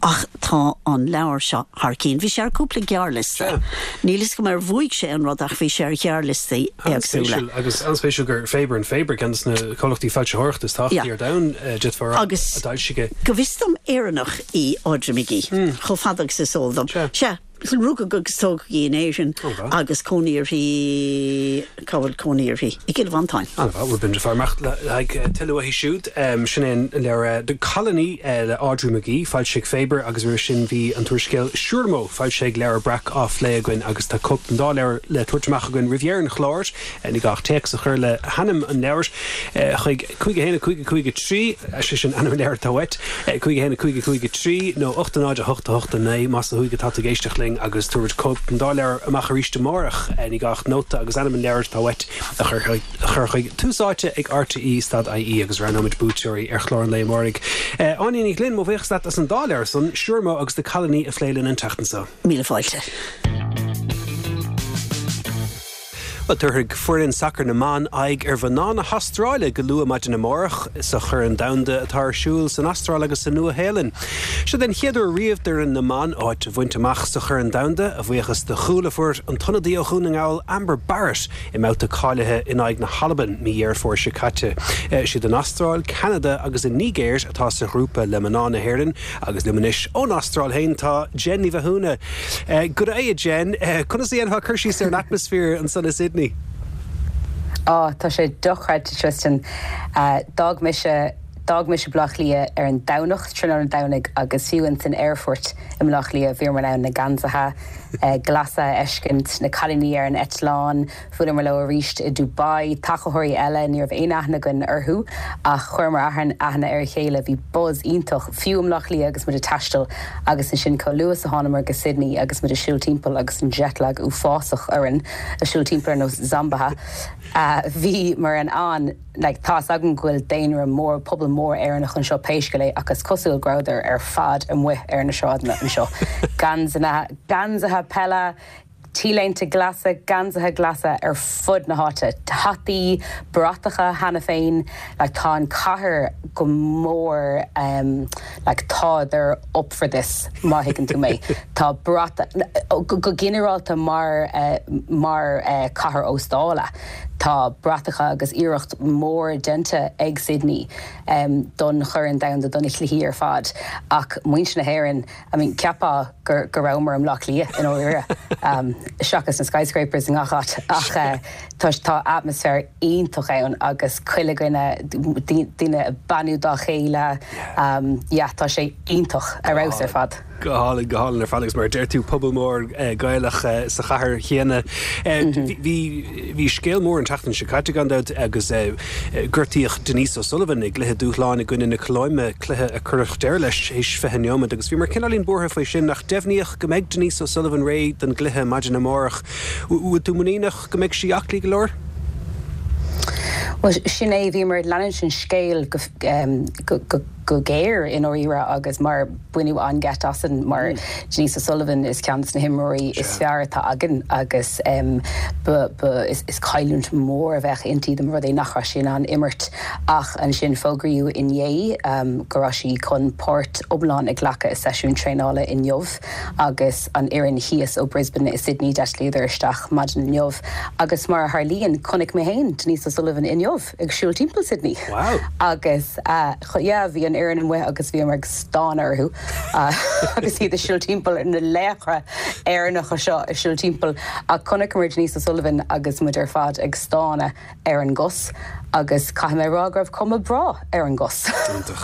Ach tá an leabhar seo thar cinn. Bhí sé ar cúpla gearrliosta. Níl fhios agam ar bhuaigh sé an rud ach bhí sé ar ghearrliostaí éagsúla. An-spéisiúil. Agus an-spéisiúil gur Faber and Faber, ceann de na comhlachtaí foilsitheoireachta is tábhachtaí ar domhan, d'fhéadfá a rá, a d'fhoilsigh é. Go bhfios dom Éireannach í Audrey McGee, chomh fada agus is eol dom. Sea. Rugadh agus tógadh í in Éirinn agus cónaí uirthi, cá bhfuil cónaí uirthi? I gCill Mhantáin. An-mhaith, bhuel b'fhéidir fáil amach le haghaidh tuilleadh uaithi siúd. Sin é an leabhar The Colony le Audrey McGee, foilsithe ag Faber agus roimhe sin bhí an t-úrscéal Siúrmó, foilsithe ag Leabhar Breac á phlé againn agus tá cóip den dá leabhar le tabhairt amach againn roimh dheireadh an chláir. Ní gá ach téacs a chur le hainm an leabhair chuig 5 1 5 5 3, sé sin ainm an leabhair atá uait, 5 1 5 5 3 nó 8 0 8 8 9 más ó thuaidh atá tú ag éisteacht linn agus tabharfaimid cóip den dá leabhar amach arís amárach. Ní gá ach nóta agus ainm an leabhair atá uait a chur chuig Tús Áite ag RTÉ stad IE agus roghnóimid buaiteoirí ar chlár an lae amáirigh. Áine Ní Ghlinn, mo bhuíochas leat as an dá leabhar san, Siúrmó agus The Colony a phlé linn an tseachtain seo. Míle fáilte. Bhuel, tabharfaidh foireann sacair na mban aghaidh ar mhná na hAstráile go luath maidin amárach sa Chorn Domhanda atá ar siúl san Astráil agus sa Nua-Shéalainn. Seo den chéad uair riamh d'fhoireann na mban áit a bhaint amach sa Chorn Domhanda, a bhuíochas do chúl a fuair an t-ionadaí ó Dhún na nGall Amber Barrett i mbabhta cáilithe in aghaidh na hAlban mí Dheireadh Fómhair seo caite. Siad an Astráil, Ceanada agus an Nigéir atá sa ghrúpa le mná na hÉireann Agus liom anois ón Astráil féin tá Jen Ní Mhathúna. Good day a Jen. Conas a dhéanfá cur síos ar an atmaisféar ansan i Sydney? Á, tá sé dochreidte Tristan. D'fhág mise, d'fhág mise Baile Átha Cliath ar an Domhnach, tráthnóna Domhnaigh agus fiú ins an aerfort i mBaile Átha Cliath bhíomar in ann na geansaithe glasa a fheiscint, na cailíní ar an eitleán, Bhuaileamar leo arís i Dubai, tacaitheoirí eile, ní raibh aon aithne againn orthu ach chuireamar aithne ar a chéile. Bhí buzz iontach, fiú i mBleá Cliath agus muid ag taisteal agus ansin chomh luath is a thánamar go Sydney agus muid ag siúl timpeall agus an jetlag uafásach orainn, ag siúl timpeall ar nós zombaithe. Bhíomar in ann, like, tá 'fhios agam go bhfuil daonra mór, pobal mór Éireannach anseo pé scéal é ach is cosúil go rabhadar ar fad amuigh ar na sráideanna anseo. Geansaithe peile, T-léinte glasa, geansaithe glasa ar fud na háite, hataí, bratacha cheana féin, like tá an cathair go mór em like tá they're up for this má thuigeann tú mé. Tá brat, go ginearálta mar eh mar eh cathair óstála tá bratacha agus iarracht mór déanta ag Sydney em don Chorn Domhanda, do na cluichí ar fad ach muintir na hÉireann, I mean, cheapfá go rabhamar i mBleá Cliath i ndáiríre, seachas na skyscrapers i ngach áit, ach tá tá atmaisféar iontach ann agus chuile dhuine, daoine ag beannú dá chéile, yeah, tá sé iontach, ar fheabhas ar fad. Go hálainn, go hálainn ar fad agus mar a deir tú, pobal mór Gaelach sa chathair chéanna. Bhí bhí scéal mór an tseachtain seo caite gan dabht agus gortaíodh Denise O'Sullivan i gcluiche dúshláin i gcoinne na Colóime, cluiche a cuireadh deireadh leis théis 20 neomat agus bhíomar cineáilín buartha faoi sin ach deimhníodh go mbeidh Denise O'Sullivan réidh don gcluiche maidin amárach. Bhfuil tú muiníneach go mbeidh sí aclaí go leor? Bhuel, sin é, bhíomar ag leanúint an scéil go go géar i ndáiríre agus mar baineadh an-gheit asainn mar Denise O'Sullivan is ceann de na himreoirí is fearr atá againn agus ba ba is cailliúint mhór a bheadh inti dá mba rud é nach raibh sí in ann imirt ach ansin fógraíodh inné go raibh sí chun páirt iomlán a ghlacadh i seisiún traenála inniu agus an fhoireann thíos ó Brisbane i Sydney d'eitlíodar isteach maidin inniu agus mar a tharlaíonn chonaic mé féin Denise O'Sullivan inniu. ag siúl timpeall Sydney. Wow! Agus yeah, bhí an fhoireann amuigh agus bhíomar ag stánadh orthu agus iad ag siúl timpeall, na laochra Éireannacha seo ag siúl timpeall. Ach chonaiceamar Denise O'Sullivan agus muid ar fad ag stánadh ar an gcos. Agus caithfidh mé a rá go raibh cuma breá ar an gcos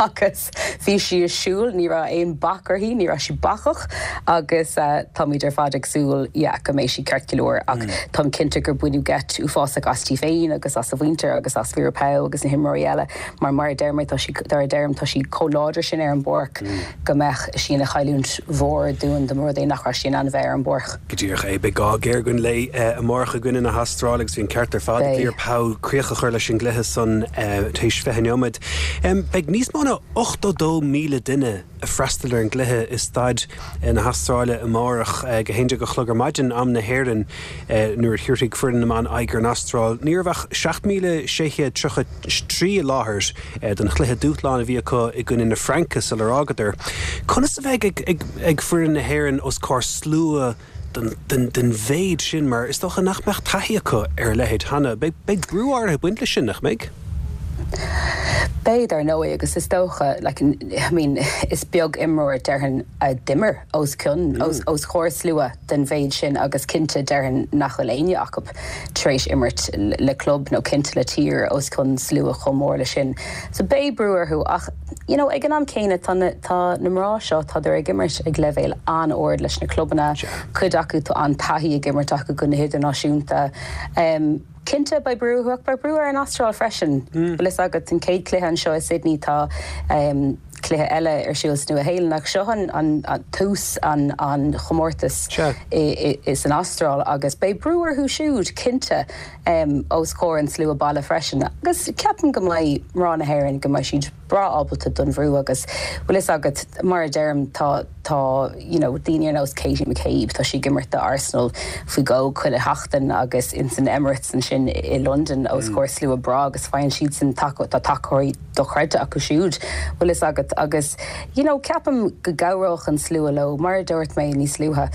agus bhí sí ag siúl, ní raibh aon bac uirthi, ní raibh sí bacach agus táimid ar fad ag súil yeah go mbeidh sí ceart go leor ach táim cinnte gur baineadh geit uafásach aisti féin agus as a mhuintir agus as Vera Pauw agus na himreoirí eile mar mar a deir mé tá sí mar a deirim tá sí chomh láidir sin ar an bpáirc go mbeadh sí ina chailliúint mhór dúinn dá mba rud é nach raibh sí in ann a bheith ar an bpáirc. Go díreach é. Beidh gá géar againn léi amárach i gcoinne na hAstráile agus bhí an ceart ar fad ag Vera Pauw críoch a chur leis an gcluiche san théis 20 neomat. Beidh níos mó ná 82,000 duine ag freastal ar an gcluiche i staid na hAstráile amárach ag 11 a chlog ar maidin, am na hÉireann, nuair a thabharfaidh foireann na mban aghaidh ar an Astráil. Ní raibh ach 7,633 i láthair don chluiche dúshláin a bhí acu i gcoinne na Fraince sular fhágadar. Conas a bheidh ag foireann na hÉireann os comhair slua den mhéid sin mar is dócha nach mbeadh taithí acu ar a leithéid cheana? Beidh brú áirithe ag baint leis sin, nach mbeidh? Beidh, dar ndóigh, agus is dócha, like, I mean, is beag imreoir, déarfainn, a d'imir os cionn, os comhair slua den mhéid sin agus cinnte, déarfainn nach bhfuil éinne acu tar éis imirt le club nó cinnte le tír os cionn slua chomh mór le sin. So beidh brú orthu ach, you know, ag an am céanna tá na, tá na mná seo, tádar ag imirt ag leibhéal an-ard leis na clubanna, cuid acu tá an-taithí ag imirt acu go hidirnáisiúnta. Cinnte beidh brú orthu ach beidh brú ar an Astráil freisin. Bhfuil fhios agat, an chéad cluiche anseo i Sydney tá cluiche eile ar siúl sa Nua-Shéalainn ach seo an tús an an chomórtais san Astráil agus beidh brú orthu siúd cinnte os comhair an slua baile freisin agus ceapaim go mbeidh mná na hÉireann go mbeidh siad breá ábalta don bhrú agus bhfuil fhios agat mar a deirim tá tá you know daoine ar nós Katie McCabe tá sí ag imirt do Arsenal faoi dhó chuile sheachtain agus ins an Emirates ansin i Londain os comhair slua breá agus faigheann siadsan taca tá tacóirí dochreidte acu siúd bhfuil fhios agat agus you know ceapaim go gcabhródh an slua leo mar a dúirt mé níos luaithe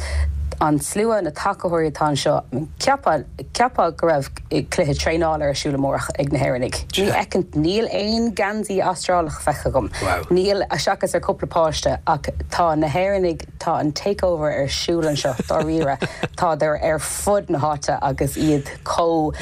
an slua na tacóirí atá anseo cheapfá Cheapfá go raibh cluiche traenála ar siúl amárach ag na hÉireannaigh. Ní fheiceann, níl aon geansaí Astrálach feicthe agam. Níl, seachas ar cúpla páiste, ach tá na hÉireannaigh, tá an takeover ar siúl anseo, dáiríre. Tádar ar fud na háite agus iad chomh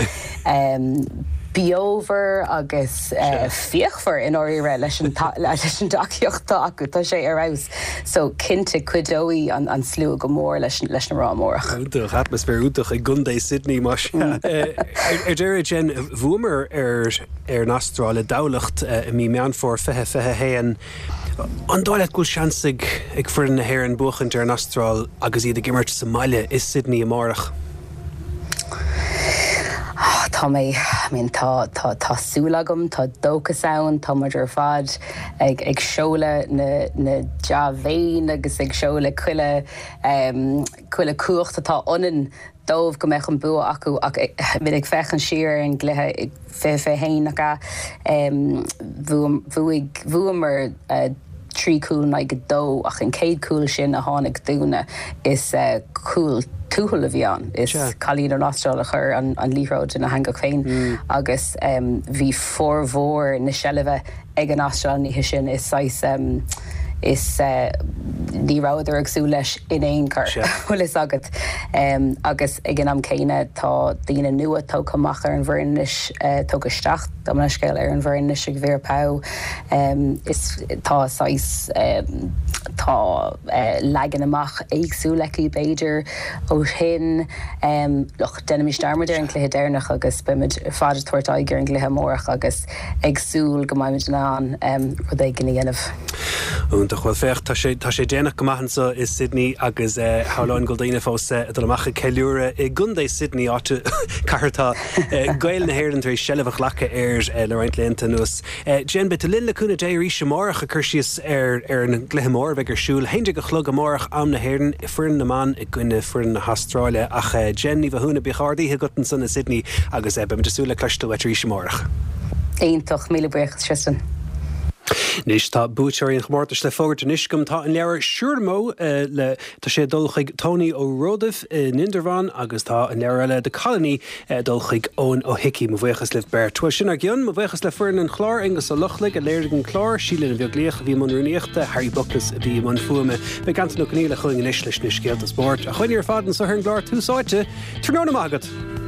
beomhar agus fíochmhar i ndáiríre leis an tacaíocht atá acu. Tá sé ar fheabhas. So, cinnte, cuideoidh an slua go mór leis na mná amárach. Iontach, atmaisféar iontach i gContae Sydney, más ea. Ar deireadh, Jen, bhuamar ar an Astráil i dTamhlacht i mí Meán Fómhair 2021. An dóigh leat go bhfuil seans ag foireann na hÉireann buachaint ar an Astráil agus iad ag imirt sa mbaile i Sydney amárach? Tá mé, I mean, tá, tá, tá súil agam, tá dóchas ann, tá muid ar fad ag, ag seoladh na, na dea-mhéin agus ag seoladh chuile, chuile cumhacht atá ionainn dóibh go mbeadh an bua acu ach, I mean, ag féachaint siar ar an gcluiche 2021, nach ea, bhuaigh, bhuamar 3 cúl in aghaidh 2 ach an chéad cúl sin a tháinig dúinne is cúl tuathail a bhí ann. Is cailín ón Astráil a chuir an liathróid ina heangach féin agus bhí formhór na seilbhe ag an Astráil an oíche sin. Is saghas is ní rabhadar ag súil leis in aon chor, bhfuil fhios agat. Agus ag an am céanna tá daoine nua tógtha amach ar an bhfoireann anois, tógtha isteach, gabh mo leithscéal, ar an bhfoireann anois ag Vera Pauw. Is tá saghas, tá leagan amach éagsúil aici b'fhéidir ó shin. Look, déanaimis dearmad ar an gcluiche deireanach agus beimid ar fad ag tabhairt aghaidh ar an gcluiche amárach agus ag súil go mbeimid in ann rud éigin a dhéanamh. Iontach. Bhuel féach, tá sé, tá sé déanach go maith anseo i Sydney agus shamhlóinn go bhfuil daoine fós ag dul amach ag ceiliúradh i gContae Sydney, áit, cathair atá Gaeil na hÉireann tar éis seilbh a ghlacadh air le roinnt laethanta anuas. Jen, beidh tú linn le cúnamh Dé arís amárach ag cur síos ar ar an gcluiche mór a bheidh ar siúl 11 a chlog amárach am na hÉireann, foireann na mban i gcoinne foireann na hAstráile. Ach Jen Ní Mhathúna, bíodh ard-oíche agat ansan i Sydney agus beimid ag súil le cloisteáil uait arís amárach. Iontach, míle buíochas Tristan. Anois tá buaiteoirí an chomórtais le fógairt anois agam. Tá an leabhar Siúramó le, tá sé ag dul chuig Tony Ó Ródaimh in Indreabhán agus tá an leabhar eile The Colony ag dul chuig Eoin Ó hIcí. Mo bhuíochas libh beirt. Bhuel, sin ár gcionn. Mo bhuíochas le foireann an chláir, Aonghus Ó Lochlaigh a léirigh an clár, Síle Ní Bheaglaoich a bhí i mbun rúnaíochta, Harry Buckles a bhí i mbun fuaime. Beidh Antain Ó Conghaile chugainn anois leis na scéalta spóirt. Ó chugainne ar fad anseo ar an gclár Tús Áite. Tráthnóna maith agat!